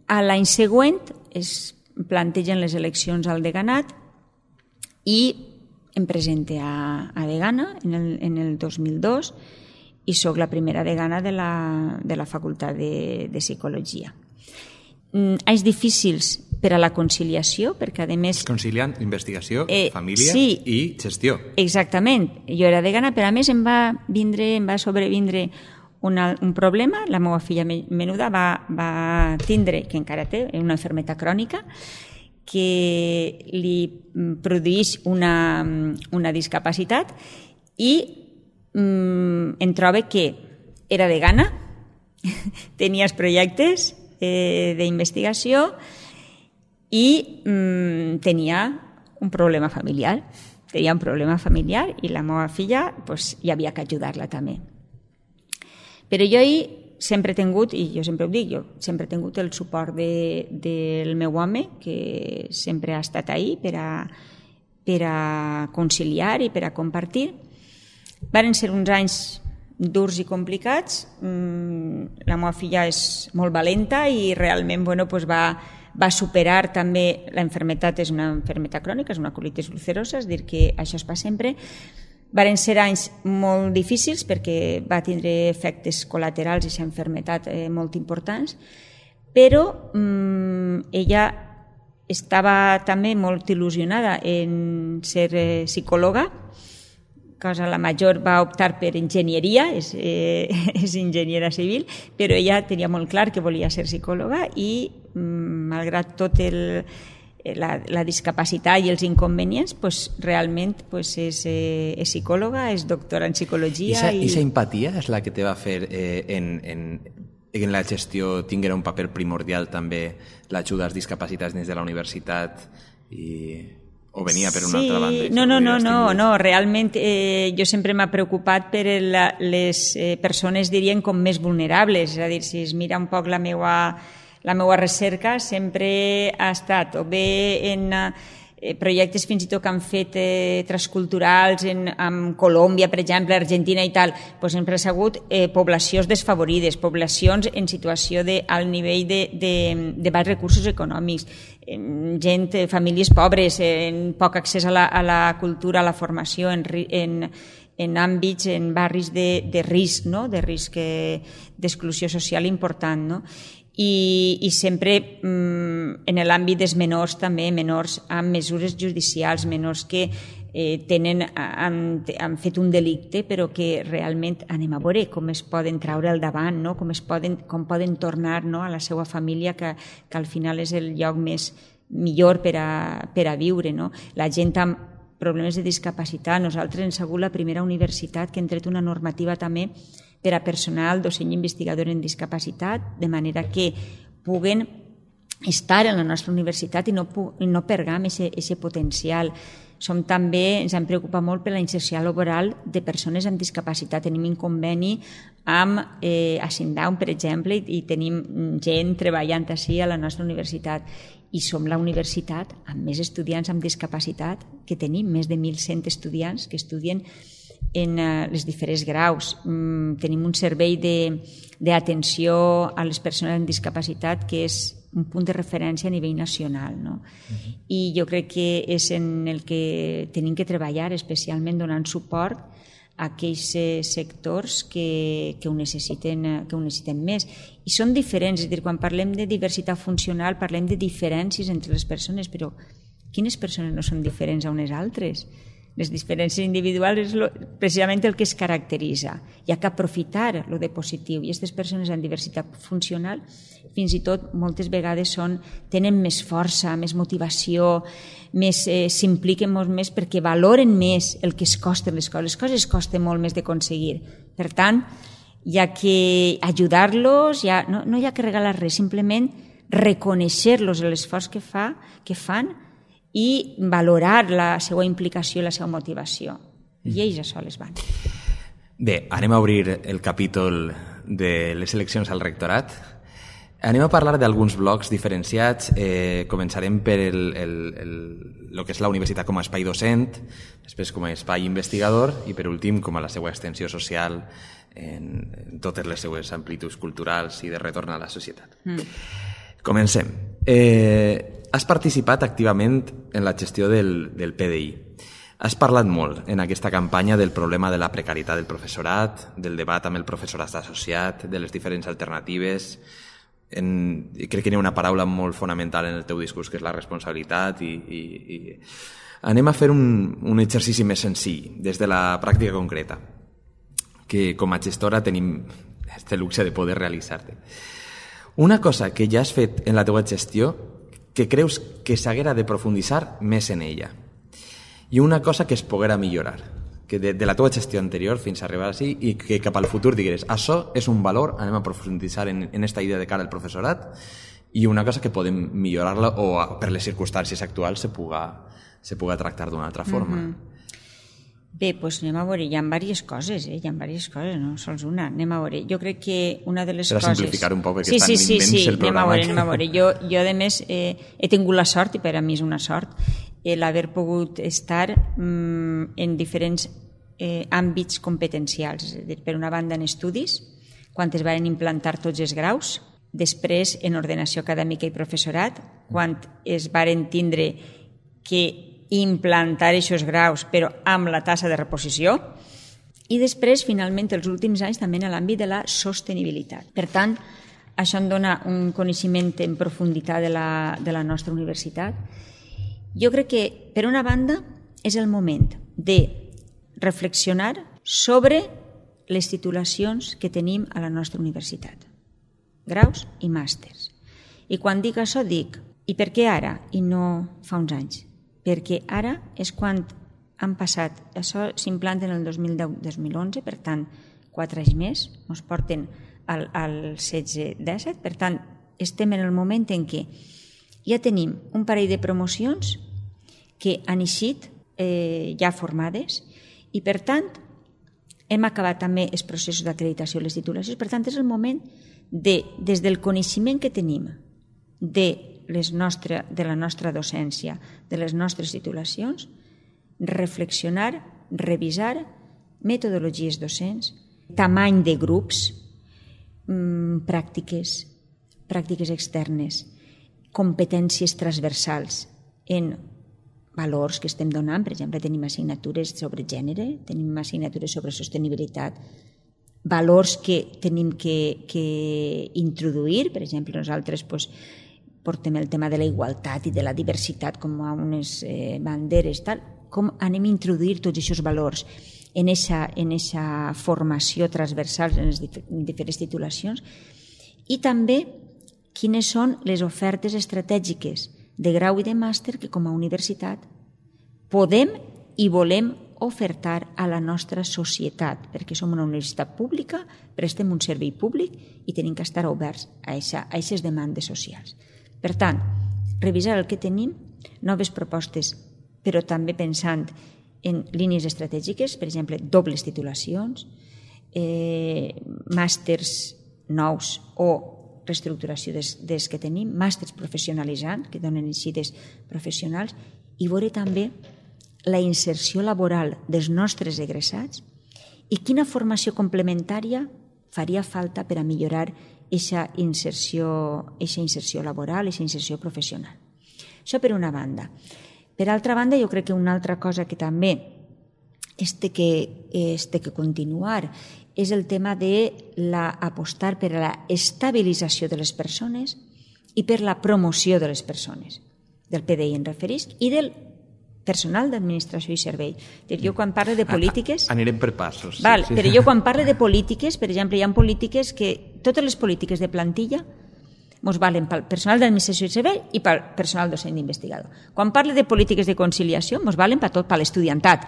a l'any següent es plantegen les eleccions al deganat, i em presente a, a degana en el, en el dos mil dos i sóc la primera degana de la, de la Facultat de, de Psicologia. Mm, anys difícils per a la conciliació, perquè a més... Conciliant investigació, eh, família sí, i gestió. Exactament. Jo era degana, però a més em va, vindre, em va sobrevindre una, un problema. La meva filla menuda va, va tindre, que encara té, una malaltia crònica, que li produeix una, una discapacitat, i mm, em trobo que era degana, tenia els projectes eh, d'investigació i mm, tenia un problema familiar. Tenia un problema familiar i la meva filla pues, hi havia que ajudar-la també. Però jo hi sempre he tingut, i jo sempre ho dic, jo sempre he tingut el suport de, del meu home, que sempre ha estat ahí per a, per a conciliar i per a compartir. Varen ser uns anys durs i complicats. La meva filla és molt valenta i realment bueno, pues va, va superar també la malaltia, és una malaltia crònica, és una colitis ulcerosa, és a dir, que això es fa sempre. Varen ser anys molt difícils perquè va tindre efectes col·laterals i aquesta malaltia eh, molt importants, però mm, ella estava també molt il·lusionada en ser eh, psicòloga, cosa, la major va optar per enginyeria, és, eh, és enginyera civil, però ella tenia molt clar que volia ser psicòloga i, malgrat tot el, la, la discapacitat i els inconvenients, pues, realment pues, és, eh, és psicòloga, és doctora en psicologia. I aquesta empatia és la que te va fer eh, en, en, en la gestió tinguera un paper primordial també l'ajuda als discapacitats dins de la universitat i... o venia per una sí, altra banda? No, no, no, no, no, realment eh, jo sempre m'ha preocupat per la, les eh, persones, dirien, com més vulnerables, és a dir, si es mira un poc la meua, la meua recerca, sempre ha estat o bé en eh, projectes fins i tot que han fet eh, transculturals en, en Colòmbia, per exemple, Argentina i tal, doncs sempre ha sigut eh, poblacions desfavorides, poblacions en situació de, al nivell de, de, de baix recursos econòmics, gent, famílies pobres, en poc accés a la, a la cultura, a la formació, en, en, en àmbits, en barris de, de risc, no? De risc d'exclusió social important, no? I, i sempre mm, en l'àmbit dels menors també, menors amb mesures judicials, menors que eh, tenen, han, han fet un delicte però que realment anem a veure com es poden traure al davant, no? com, es poden, com poden tornar, no? a la seva família, que, que al final és el lloc més millor per a, per a viure. No? La gent amb problemes de discapacitat, nosaltres hem sigut la primera universitat que hem tret una normativa també per a personal docent i investigador en discapacitat, de manera que puguen estar en la nostra universitat i no, i no perdem aquest potencial. Som també, ens hem preocupat molt per la inserció laboral de persones amb discapacitat. Tenim un conveni amb eh, Asindown, per exemple, i tenim gent treballant així a la nostra universitat. I som la universitat amb més estudiants amb discapacitat que tenim, més de mil cent estudiants que estudien en els diferents graus. Tenim un servei d'atenció a les persones amb discapacitat que és un punt de referència a nivell nacional. No? Uh-huh. I jo crec que és en el que tenim que treballar, especialment donant suport a aquells sectors que, que, ho necessiten, que ho necessiten més. I són diferents, és a dir, quan parlem de diversitat funcional parlem de diferències entre les persones, però quines persones no són diferents a unes altres? Les diferències individuals és lo, precisament el que es caracteritza. Hi ha que aprofitar lo de positiu. I aquestes persones amb diversitat funcional fins i tot moltes vegades són, tenen més força, més motivació, més, eh, s'impliquen molt més perquè valoren més el que es costen les coses. Les coses costen molt més d'aconseguir. Per tant, hi ha que ajudar-los, hi ha, no, no hi ha que regalar res, simplement reconèixer-los l'esforç que, fa, que fan i valorar la seva implicació i la seva motivació. I ells a soles van. Bé, anem a obrir el capítol de les eleccions al rectorat. Anem a parlar d'alguns blocs diferenciats. Eh, començarem per el, el, el, el que és la universitat com a espai docent, després com a espai investigador i per últim com a la seva extensió social en, en totes les seues amplituds culturals i de retorn a la societat. Mm. Comencem. Eh, has participat activament en la gestió del, del P D I. Has parlat molt en aquesta campanya del problema de la precarietat del professorat, del debat amb el professorat associat, de les diferents alternatives. En, crec que hi ha una paraula molt fonamental en el teu discurs, que és la responsabilitat. I, i, i... Anem a fer un, un exercici més senzill, des de la pràctica concreta, que com a gestora tenim este luxe de poder realitzar-te. Una cosa que ja has fet en la teua gestió que creus que s'haguera de profunditzar més en ella, i una cosa que es poguera millorar, que de, de la teva gestió anterior fins a arribar així, i que cap al futur digueres, això és un valor, anem a profunditzar en, en esta idea de cara al professorat, i una cosa que podem millorar-la o per les circumstàncies actuals se puga, se puga tractar d'una altra forma. Mm-hmm. Bé, doncs anem a veure, hi ha diverses coses, eh? hi ha diverses coses, no sols una, anem a veure. Jo crec que una de les per coses... Per simplificar un poc, perquè sí, és tan sí, sí, immens sí, el programa. Anem a veure, anem a veure. Jo, jo a més, eh, he tingut la sort, i per a mi és una sort, eh, l'haver pogut estar mm, en diferents eh, àmbits competencials. És a dir, per una banda en estudis, quan es van implantar tots els graus, després en ordenació acadèmica i professorat, quan es varen tindre que implantar aquests graus, però amb la tassa de reposició, i després, finalment, els últims anys també en l'àmbit de la sostenibilitat. Per tant, això em dona un coneixement en profunditat de la, de la nostra universitat. Jo crec que, per una banda, és el moment de reflexionar sobre les titulacions que tenim a la nostra universitat, graus i màsters. I quan dic això dic, i per què ara i no fa uns anys? Perquè ara és quan han passat, això s'implanta en el dos mil deu dos mil onze, per tant, quatre anys més, ens porten al, al setze disset, per tant, estem en el moment en què ja tenim un parell de promocions que han eixit eh, ja formades i, per tant, hem acabat també els processos d'acreditació de les titulacions. Per tant, és el moment de, des del coneixement que tenim de, les nostre, de la nostra docència, de les nostres titulacions, reflexionar, revisar metodologies docents, tamany de grups, mmm, pràctiques, pràctiques externes, competències transversals en valors que estem donant. Per exemple, tenim assignatures sobre gènere, tenim assignatures sobre sostenibilitat, valors que tenim que, que introduir. Per exemple, nosaltres pues, portem el tema de la igualtat i de la diversitat com a unes eh, banderes, tal. Com anem a introduir tots aquests valors en aquesta en esa formació transversal en les dif diferents titulacions, i també quines són les ofertes estratègiques de grau i de màster que com a universitat podem i volem ofertar a la nostra societat, perquè som una universitat pública, prestem un servei públic i tenim que estar oberts a aquestes demandes socials. Per tant, revisar el que tenim, noves propostes, però també pensant en línies estratègiques, per exemple, dobles titulacions, eh, màsters nous o reestructuració des, des que tenim, màsters professionalitzants, que donen eixides professionals, i veure també la inserció laboral dels nostres egressats i quina formació complementària faria falta per a millorar aquesta inserció, aquesta inserció laboral, aquesta inserció professional. Això per una banda. Per altra banda, jo crec que una altra cosa que també es té que, es té que continuar és el tema de la, apostar per a la estabilització de les persones i per la promoció de les persones. Del P D I en referisc i del personal d'administració i servei. Jo quan parlo de polítiques... Anirem per passos. Val, sí, sí. Però jo quan parlo de polítiques, per exemple, hi ha polítiques que... Totes les polítiques de plantilla ens valen pel personal d'administració i servei i pel personal docent d'investigador. Quan parlo de polítiques de conciliació, ens valen per tot, per l'estudiantat,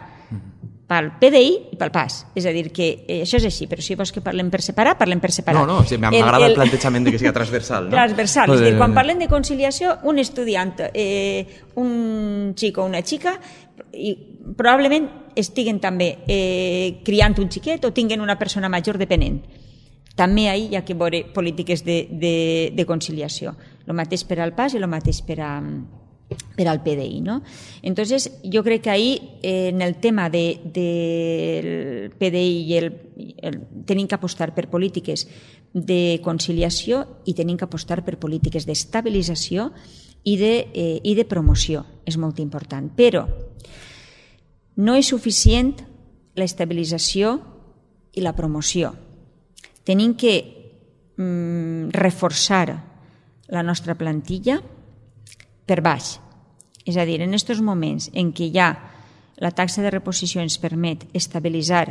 pel P D I i pel P A S. És a dir, que eh, això és així, però si vols que parlem per separar, parlem per separar. No, no, sí, m'agrada el, el plantejament de que sigui transversal. No? Transversal, és a dir, quan parlem de conciliació, un estudiant, eh, un xic o una xica, i probablement estiguen també eh, criant un xiquet o tinguen una persona major dependent. També ahí hi ha que veure polítiques de, de, de conciliació. El mateix per al P A S i el mateix per a... per al P D I, ¿no? Entonces, yo creo que ahí, eh, en el tema del de, de P D I i el, el, tenim que apostar per polítiques de conciliació i tenim que apostar per polítiques d'estabilització i de, eh, i de promoció. És molt important. Però no és suficient l'estabilització i la promoció. Tenim que mm, reforçar la nostra plantilla per baix. És a dir, en aquests moments en què ja la taxa de reposició ens permet estabilitzar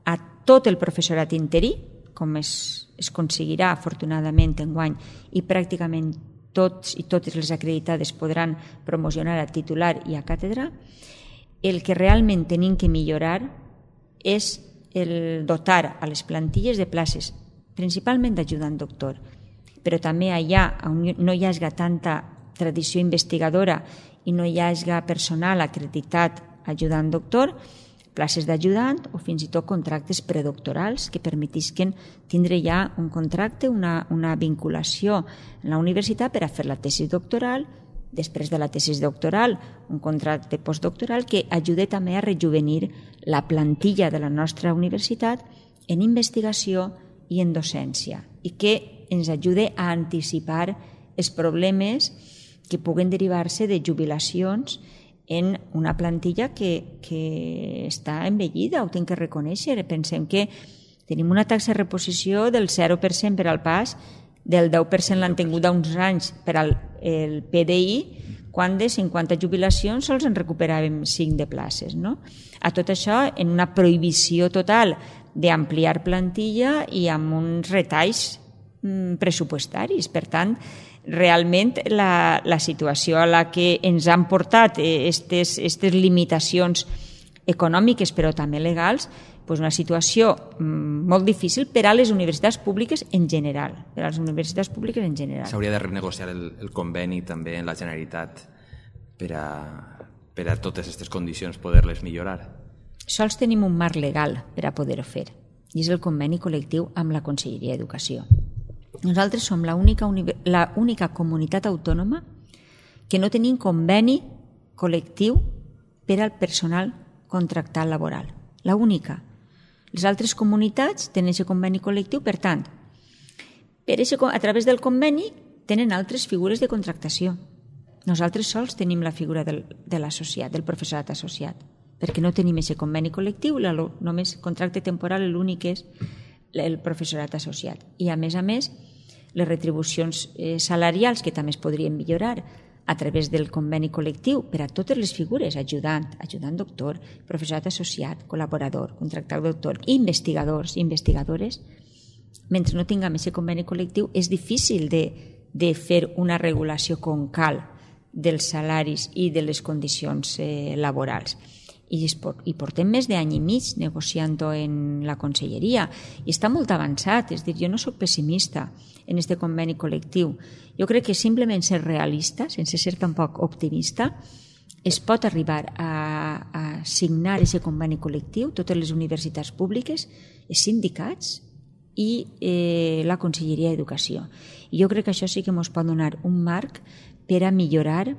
a tot el professorat interí, com es, es aconseguirà afortunadament enguany, i pràcticament tots i totes les acreditades podran promocionar a titular i a càtedra, el que realment tenim que millorar és el dotar a les plantilles de places, principalment d'ajudant doctor, però també allà on no hi hagi tanta tradició investigadora i no hi hagi personal acreditat ajudant doctor, places d'ajudant o fins i tot contractes predoctorals que permetisquen tindre ja un contracte, una, una vinculació en la universitat per a fer la tesi doctoral, després de la tesi doctoral, un contracte postdoctoral que ajude també a rejuvenir la plantilla de la nostra universitat en investigació i en docència i que ens ajude a anticipar els problemes que puguen derivar-se de jubilacions en una plantilla que, que està envellida, ho tinc que reconèixer. Pensem que tenim una taxa de reposició del zero per cent per al P A S, del deu per cent l'han tingut uns anys per al el P D I, quan de cinquanta jubilacions sols en recuperàvem cinc de places. No? A tot això, en una prohibició total d'ampliar plantilla i amb uns retalls pressupostaris. Per tant, realment la, la situació a la que ens han portat aquestes limitacions econòmiques però també legals, doncs una situació molt difícil per a les universitats públiques en general. Per a les universitats públiques en general. S'hauria de renegociar el, el conveni també en la Generalitat per a, per a totes aquestes condicions poder-les millorar. Sols tenim un marc legal per a poder-ho fer i és el conveni col·lectiu amb la Conselleria d'Educació. Nosaltres som l'única única comunitat autònoma que no tenim conveni col·lectiu per al personal contractat laboral. La única. Les altres comunitats tenen aquest conveni col·lectiu, per tant, per ese, a través del conveni tenen altres figures de contractació. Nosaltres sols tenim la figura del, de l'associat, del professorat associat, perquè no tenim aquest conveni col·lectiu, la, només contracte temporal l'únic és el professorat associat. I a més a més, les retribucions eh, salarials, que també es podrien millorar a través del conveni col·lectiu per a totes les figures, ajudant, ajudant doctor, professorat associat, col·laborador, contractat doctor, investigadors, investigadores, mentre no tinguem aquest conveni col·lectiu és difícil de, de fer una regulació com cal dels salaris i de les condicions eh, laborals. I, i portem més d'any i mig negociant-ho en la conselleria i està molt avançat, és dir, jo no soc pessimista en aquest conveni col·lectiu. Jo crec que simplement ser realista, sense ser tampoc optimista, es pot arribar a, a signar aquest conveni col·lectiu, totes les universitats públiques, els sindicats i eh, la Conselleria d'Educació. I jo crec que això sí que ens pot donar un marc per a millorar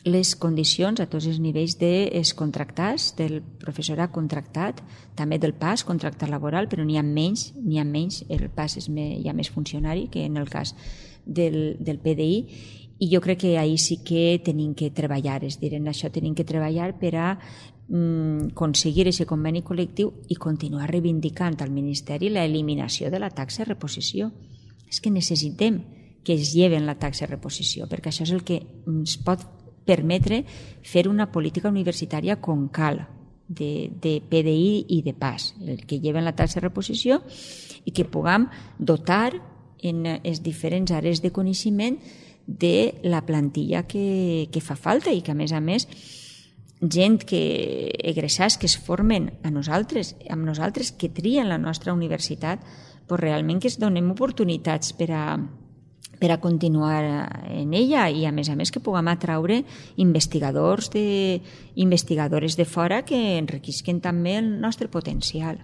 les condicions a tots els nivells dels contractats, del professorat contractat, també del P A S, contractat laboral, però n'hi ha menys, n'hi ha menys, el P A S és més, hi ha més funcionari que en el cas del, del P D I, i jo crec que ahir sí que tenim que treballar, és dir, en això tenim que treballar per a mm, aconseguir aquest conveni col·lectiu i continuar reivindicant al Ministeri l'eliminació de la taxa de reposició. És que necessitem que es lleven la taxa de reposició, perquè això és el que ens pot permetre fer una política universitària com cal, de, de P D I i de P A S, el que lleven la taxa de reposició i que puguem dotar en les diferents àrees de coneixement de la plantilla que, que fa falta i que, a més a més, gent que egressats que es formen a nosaltres, amb nosaltres, que trien la nostra universitat, doncs realment que es donem oportunitats per a per a continuar en ella i, a més a més, que puguem atraure investigadors de, investigadores de fora que enriquisquen també el nostre potencial.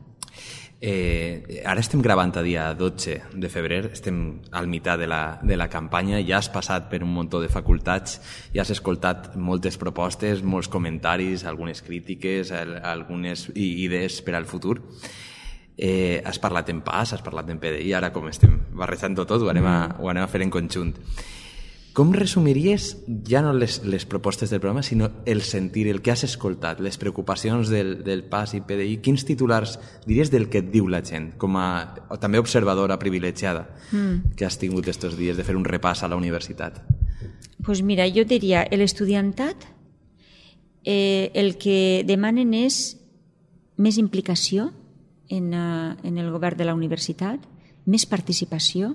Eh, ara estem gravant a dia dotze de febrer, estem al meitat de la, de la campanya, ja has passat per un munt de facultats, ja has escoltat moltes propostes, molts comentaris, algunes crítiques, algunes idees per al futur. Eh, has parlat en P A S, has parlat en P D I, ara com estem barrejant-ho tot, ho anem, a, ho anem a fer en conjunt. Com resumiries ja no les, les propostes del programa, sinó el sentir, el que has escoltat, les preocupacions del, del P A S i P D I? Quins titulars diries del que et diu la gent, com a o també observadora privilegiada mm. que has tingut estos dies de fer un repàs a la universitat? Pues mira, jo diria, l'estudiantat eh, el que demanen és més implicació En, uh, en el govern de la universitat, més participació,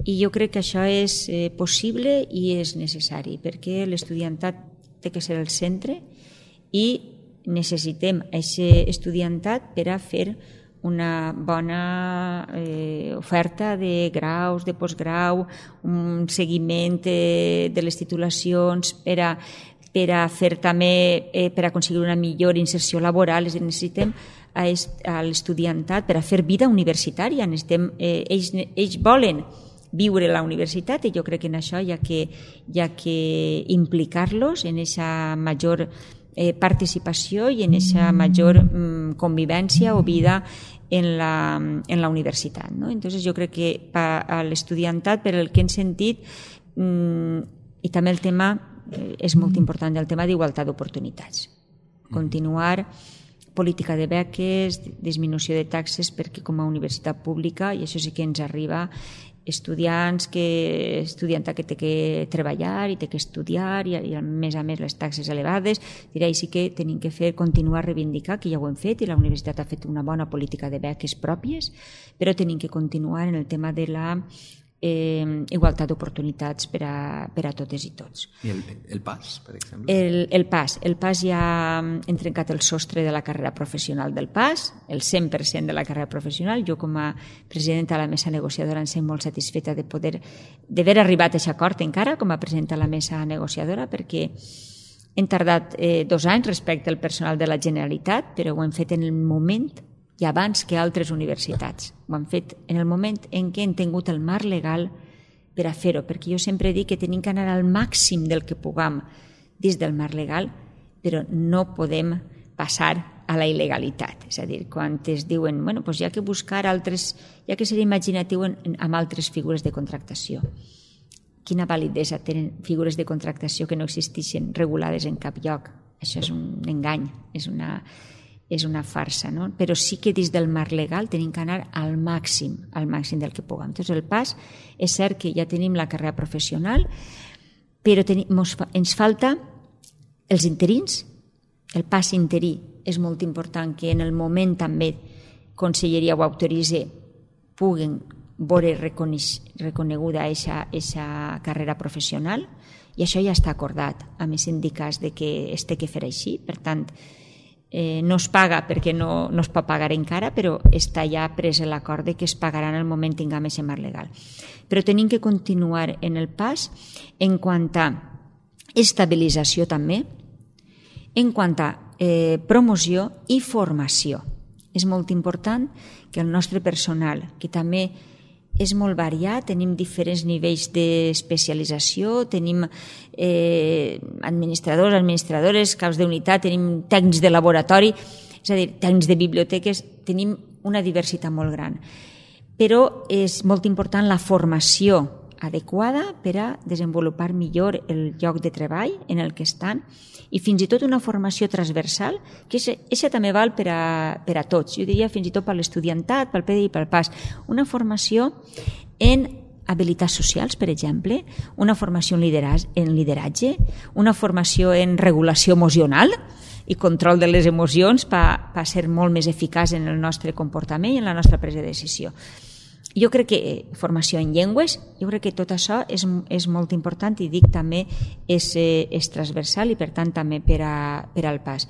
i jo crec que això és eh, possible i és necessari, perquè l'estudiantat té que ser el centre i necessitem aquest estudiantat per a fer una bona eh, oferta de graus, de postgrau, un seguiment eh, de les titulacions per a, per a fer també, eh, per a aconseguir una millor inserció laboral. És a dir, necessitem a, a l'estudiantat per a fer vida universitària. Necessitem, eh, ells, ells volen viure la universitat i jo crec que en això hi ha que, hi ha que implicar-los en aquesta major eh, participació i en aquesta major mm, convivència o vida en la, en la universitat, ¿no? Entonces jo crec que a l'estudiantat, per el que hem sentit, mm, i també el tema, eh, és molt important, el tema d'igualtat d'oportunitats. Continuar política de beques, disminució de taxes, perquè com a universitat pública, i això sí que ens arriba, estudiants que estudianta que té que treballar i té que estudiar i, i a més a més les taxes elevades, diré, sí que tenim que fer, continuar a reivindicar, que ja ho hem fet i la universitat ha fet una bona política de beques pròpies, però tenim que continuar en el tema de la eh, igualtat d'oportunitats per a, per a totes i tots. I el, el PAS, per exemple? El, el PAS. El PAS ja hem trencat el sostre de la carrera professional del PAS, el cent per cent de la carrera professional. Jo com a presidenta de la mesa negociadora em sent molt satisfeta de poder d'haver arribat a aquest acord encara com a presidenta de la mesa negociadora, perquè hem tardat eh, dos anys respecte al personal de la Generalitat, però ho hem fet en el moment i abans que altres universitats. Ho han fet en el moment en què hem tingut el marc legal per a fer-ho, perquè jo sempre dic que tenim que anar al màxim del que puguem dins del marc legal, però no podem passar a la il·legalitat. És a dir, quan es diuen, bueno, doncs hi ha que buscar altres, hi ha que ser imaginatiu en, en, amb altres figures de contractació. Quina validesa tenen figures de contractació que no existeixen regulades en cap lloc? Això és un engany, és una... és una farsa, no? Però sí que dins del marc legal tenim que anar al màxim, al màxim del que puguem. Entonces, el PAS, és cert que ja tenim la carrera professional, però tenim, ens falta els interins, el PAS interí. És molt important que en el moment també Conselleria ho autoritzi, puguen veure reconeguda aquesta carrera professional, i això ja està acordat amb els sindicats de que es té que fer així. Per tant, Eh, no es paga perquè no, no es pot pagar encara, però està ja pres l'acord de que es pagarà en el moment que tinguem aquest marc legal. Però tenim que continuar en el PAS en quant a estabilització també, en quant a eh, promoció i formació. És molt important que el nostre personal, que també és molt variat, tenim diferents nivells d'especialització, tenim eh, administradors, administradores, caps d'unitat, tenim tècnics de laboratori, és a dir, tècnics de biblioteques, tenim una diversitat molt gran. Però és molt important la formació adequada per a desenvolupar millor el lloc de treball en el que estan, i fins i tot una formació transversal, que això també val per a, per a tots. Jo diria fins i tot per l'estudiantat, pel P D I i pel PAS. Una formació en habilitats socials, per exemple, una formació en lideratge, en lideratge una formació en regulació emocional i control de les emocions per, per ser molt més eficaç en el nostre comportament i en la nostra presa de decisió. Jo crec que formació en llengües, jo crec que tot això és, és molt important i dic també és, és transversal i per tant també per, a, per al PAS.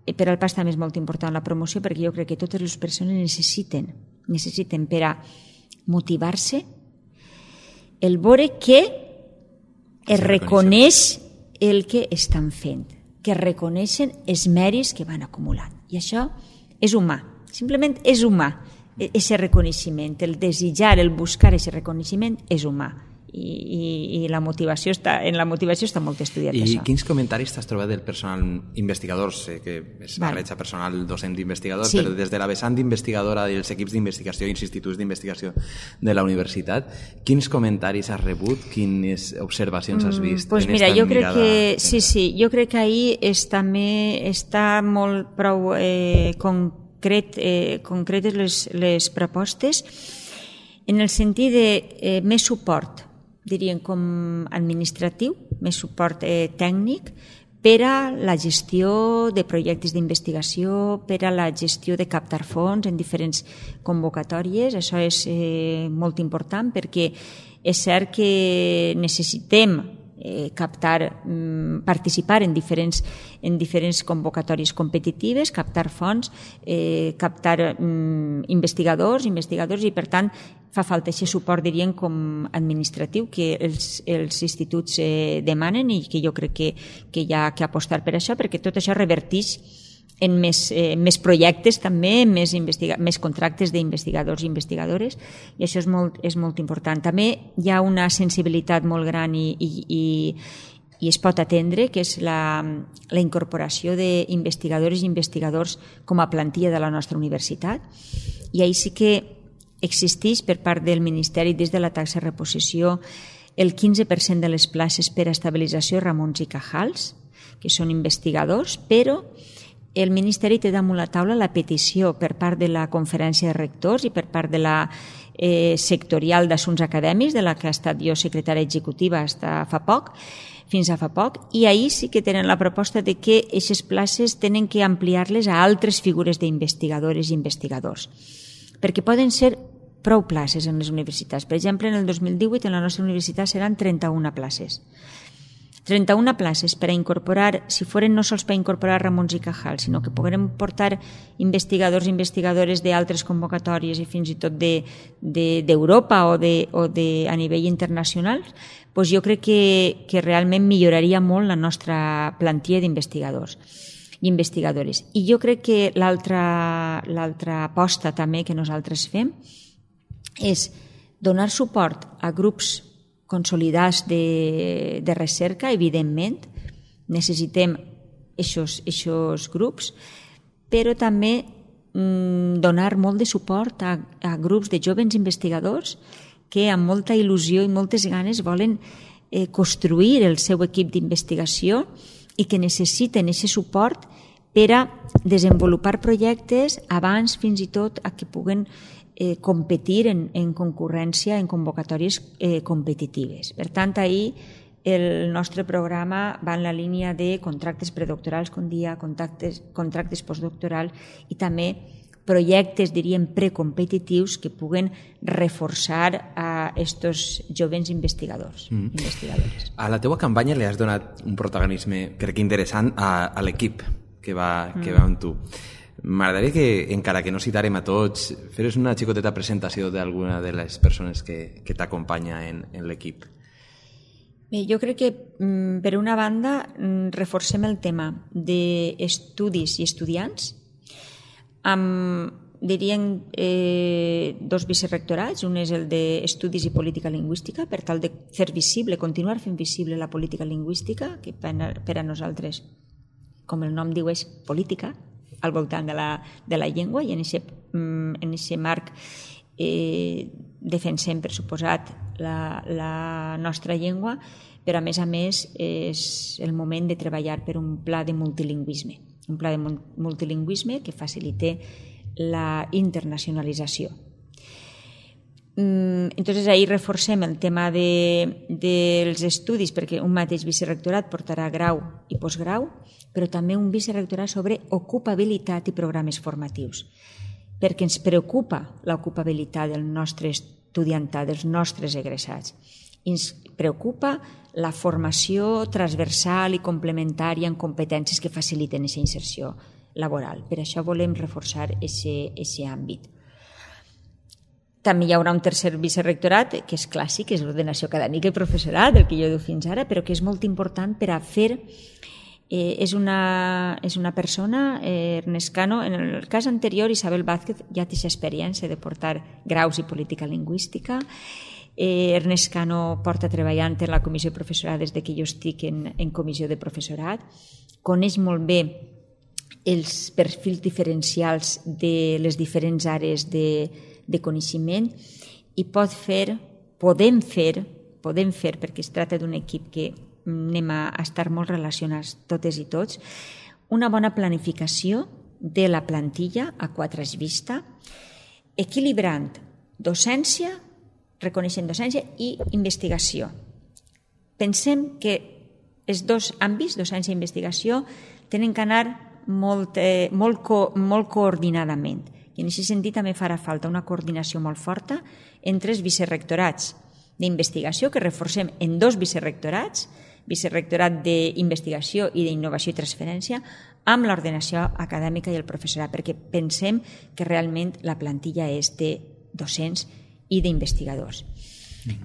Per al PAS també és molt important la promoció perquè jo crec que totes les persones necessiten, necessiten per a motivar-se el veure que es reconeix el que estan fent, que reconeixen els mèrits que van acumulant. I això és humà, simplement és humà. Aquest reconeixement, el desitjar, el buscar aquest reconeixement és humà i, i, i la motivació està, en la motivació està molt estudiat. I això. Quins comentaris t'has trobat del personal investigador? Sé que es barreja personal docent investigador, sí. Però des de la vessant investigadora dels equips d'investigació i instituts d'investigació de la universitat, quins comentaris has rebut, quines observacions has vist? Mm, pues en mira, esta jo crec mirada? que sí, sí, jo crec que ahir és, també està molt prou eh, concret Concret, eh, concretes les, les propostes en el sentit de eh, més suport, diríem com administratiu, més suport eh, tècnic per a la gestió de projectes d'investigació, per a la gestió de captar fons en diferents convocatòries. Això és eh, molt important perquè és cert que necessitem Eh, captar, mm, participar en diferents, en diferents convocatòries competitives, captar fons, eh, captar mm, investigadors, investigadors i per tant fa falta aquest suport, diríem, com administratiu que els, els instituts eh, demanen i que jo crec que, que hi ha que apostar per això perquè tot això reverteix en més, eh, més projectes també, més, més contractes d'investigadors i investigadores, i això és molt, és molt important. També hi ha una sensibilitat molt gran i, i, i, i es pot atendre, que és la, la incorporació d'investigadores i investigadors com a plantilla de la nostra universitat, i ahir sí que existeix per part del Ministeri des de la taxa de reposició el quinze per cent de les places per a estabilització Ramons i Cajals, que són investigadors, però el Ministeri té damunt la taula la petició per part de la Conferència de Rectors i per part de la eh, sectorial d'Assumptes Acadèmics, de la que ha estat jo secretària executiva fins a fa poc, fins a fa poc, i ahir sí que tenen la proposta de que aquestes places tenen que ampliar-les a altres figures d'investigadores i investigadors, perquè poden ser prou places en les universitats. Per exemple, en el dos mil divuit en la nostra universitat seran trenta-una places. trenta-una places per a incorporar, si foren no sols per a incorporar Ramons i Cajal, sinó que poguem portar investigadors i investigadores d'altres convocatòries i fins i tot d'Europa o, de, o de, a nivell internacional, doncs jo crec que, que realment milloraria molt la nostra plantilla d'investigadors i investigadores. I jo crec que l'altra l'altra aposta també que nosaltres fem és donar suport a grups consolidats de, de recerca, evidentment, necessitem aquests grups, però també mm, donar molt de suport a, a grups de joves investigadors que amb molta il·lusió i moltes ganes volen eh, construir el seu equip d'investigació i que necessiten aquest suport per a desenvolupar projectes abans fins i tot a que puguen Eh, competir en, en concurrència, en convocatòries eh, competitives. Per tant, ahir el nostre programa va en la línia de contractes predoctorals, com dia, contractes, contractes postdoctorals i també projectes, diríem, precompetitius que puguen reforçar a estos joves investigadors. Mm. investigadores. A la teua campanya li has donat un protagonisme, crec que interessant, a, a l'equip que va, que mm. va amb tu. M'agradaria que, encara que no citarem a tots, feres una xicoteta presentació d'alguna de les persones que, que t'acompanya en, en l'equip. Bé, jo crec que, per una banda, reforcem el tema d'estudis i estudiants amb, diríem, eh, dos vicerrectorats. Un és el d'Estudis i Política Lingüística, per tal de fer visible, continuar fent visible la política lingüística, que per a nosaltres, com el nom diu, és política, al voltant de la, de la llengua, i en aquest en ese marc eh, defensem, per suposat, la, la nostra llengua, però a més a més és el moment de treballar per un pla de multilingüisme, un pla de multilingüisme que facilite la internacionalització. Entonces ahí reforcem el tema de, dels estudis, perquè un mateix vicerrectorat portarà grau i postgrau, però també un vicerrectorat sobre ocupabilitat i programes formatius, perquè ens preocupa l'ocupabilitat del nostre estudiantat, dels nostres egressats. Ens preocupa la formació transversal i complementària en competències que faciliten aquesta inserció laboral. Per això volem reforçar aquest àmbit. També hi haurà un tercer vicerrectorat, que és clàssic, que és l'ordenació acadèmica i professorat, el que jo diu fins ara, però que és molt important per a fer... Eh, és, una, és una persona, eh, Ernest Cano, en el cas anterior, Isabel Vázquez ja té experiència de portar graus i política lingüística. Eh, Ernest Cano porta treballant en la comissió de professorat des que jo estic en, en comissió de professorat. Coneix molt bé els perfils diferencials de les diferents àrees de, de coneixement i pot fer, podem fer, podem fer, perquè es tracta d'un equip que anem a estar molt relacionats totes i tots, una bona planificació de la plantilla a quatre vista, equilibrant docència, reconeixent docència i investigació. Pensem que els dos àmbits, docència i investigació, tenen que anar molt, eh, molt, co, molt coordinadament. I en aquest sentit també farà falta una coordinació molt forta entre els vicerrectorats d'investigació, que reforcem en dos vicerrectorats, vicerrectorat d'investigació i d'innovació i transferència, amb l'ordenació acadèmica i el professorat, perquè pensem que realment la plantilla és de docents i d'investigadors.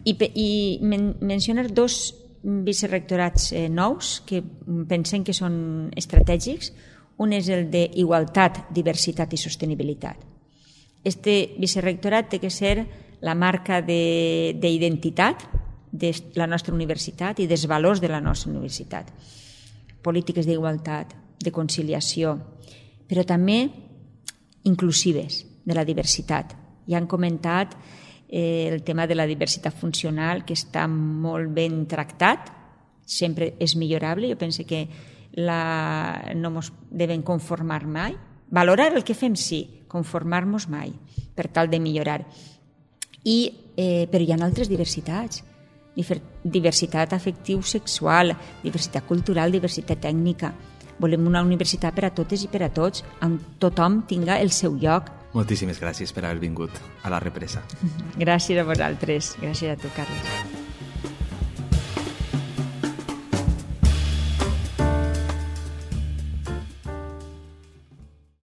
I, i men, mencionar dos vicerrectorats eh, nous que pensem que són estratègics. Un és el d'Igualtat, Diversitat i Sostenibilitat. Este vicerrectorat té que ser la marca d'identitat de, de la nostra universitat i dels valors de la nostra universitat. Polítiques d'igualtat, de conciliació, però també inclusives, de la diversitat. Ja han comentat eh, el tema de la diversitat funcional, que està molt ben tractat, sempre és millorable. Jo penso que la... no ens devem conformar mai. Valorar el que fem, sí, conformar-nos mai, per tal de millorar. I, eh, però hi ha altres diversitats. Diversitat afectiu-sexual, diversitat cultural, diversitat tècnica. Volem una universitat per a totes i per a tots, on tothom tinga el seu lloc. Moltíssimes gràcies per haver vingut a La Represa. Gràcies a vosaltres. Gràcies a tu, Carles.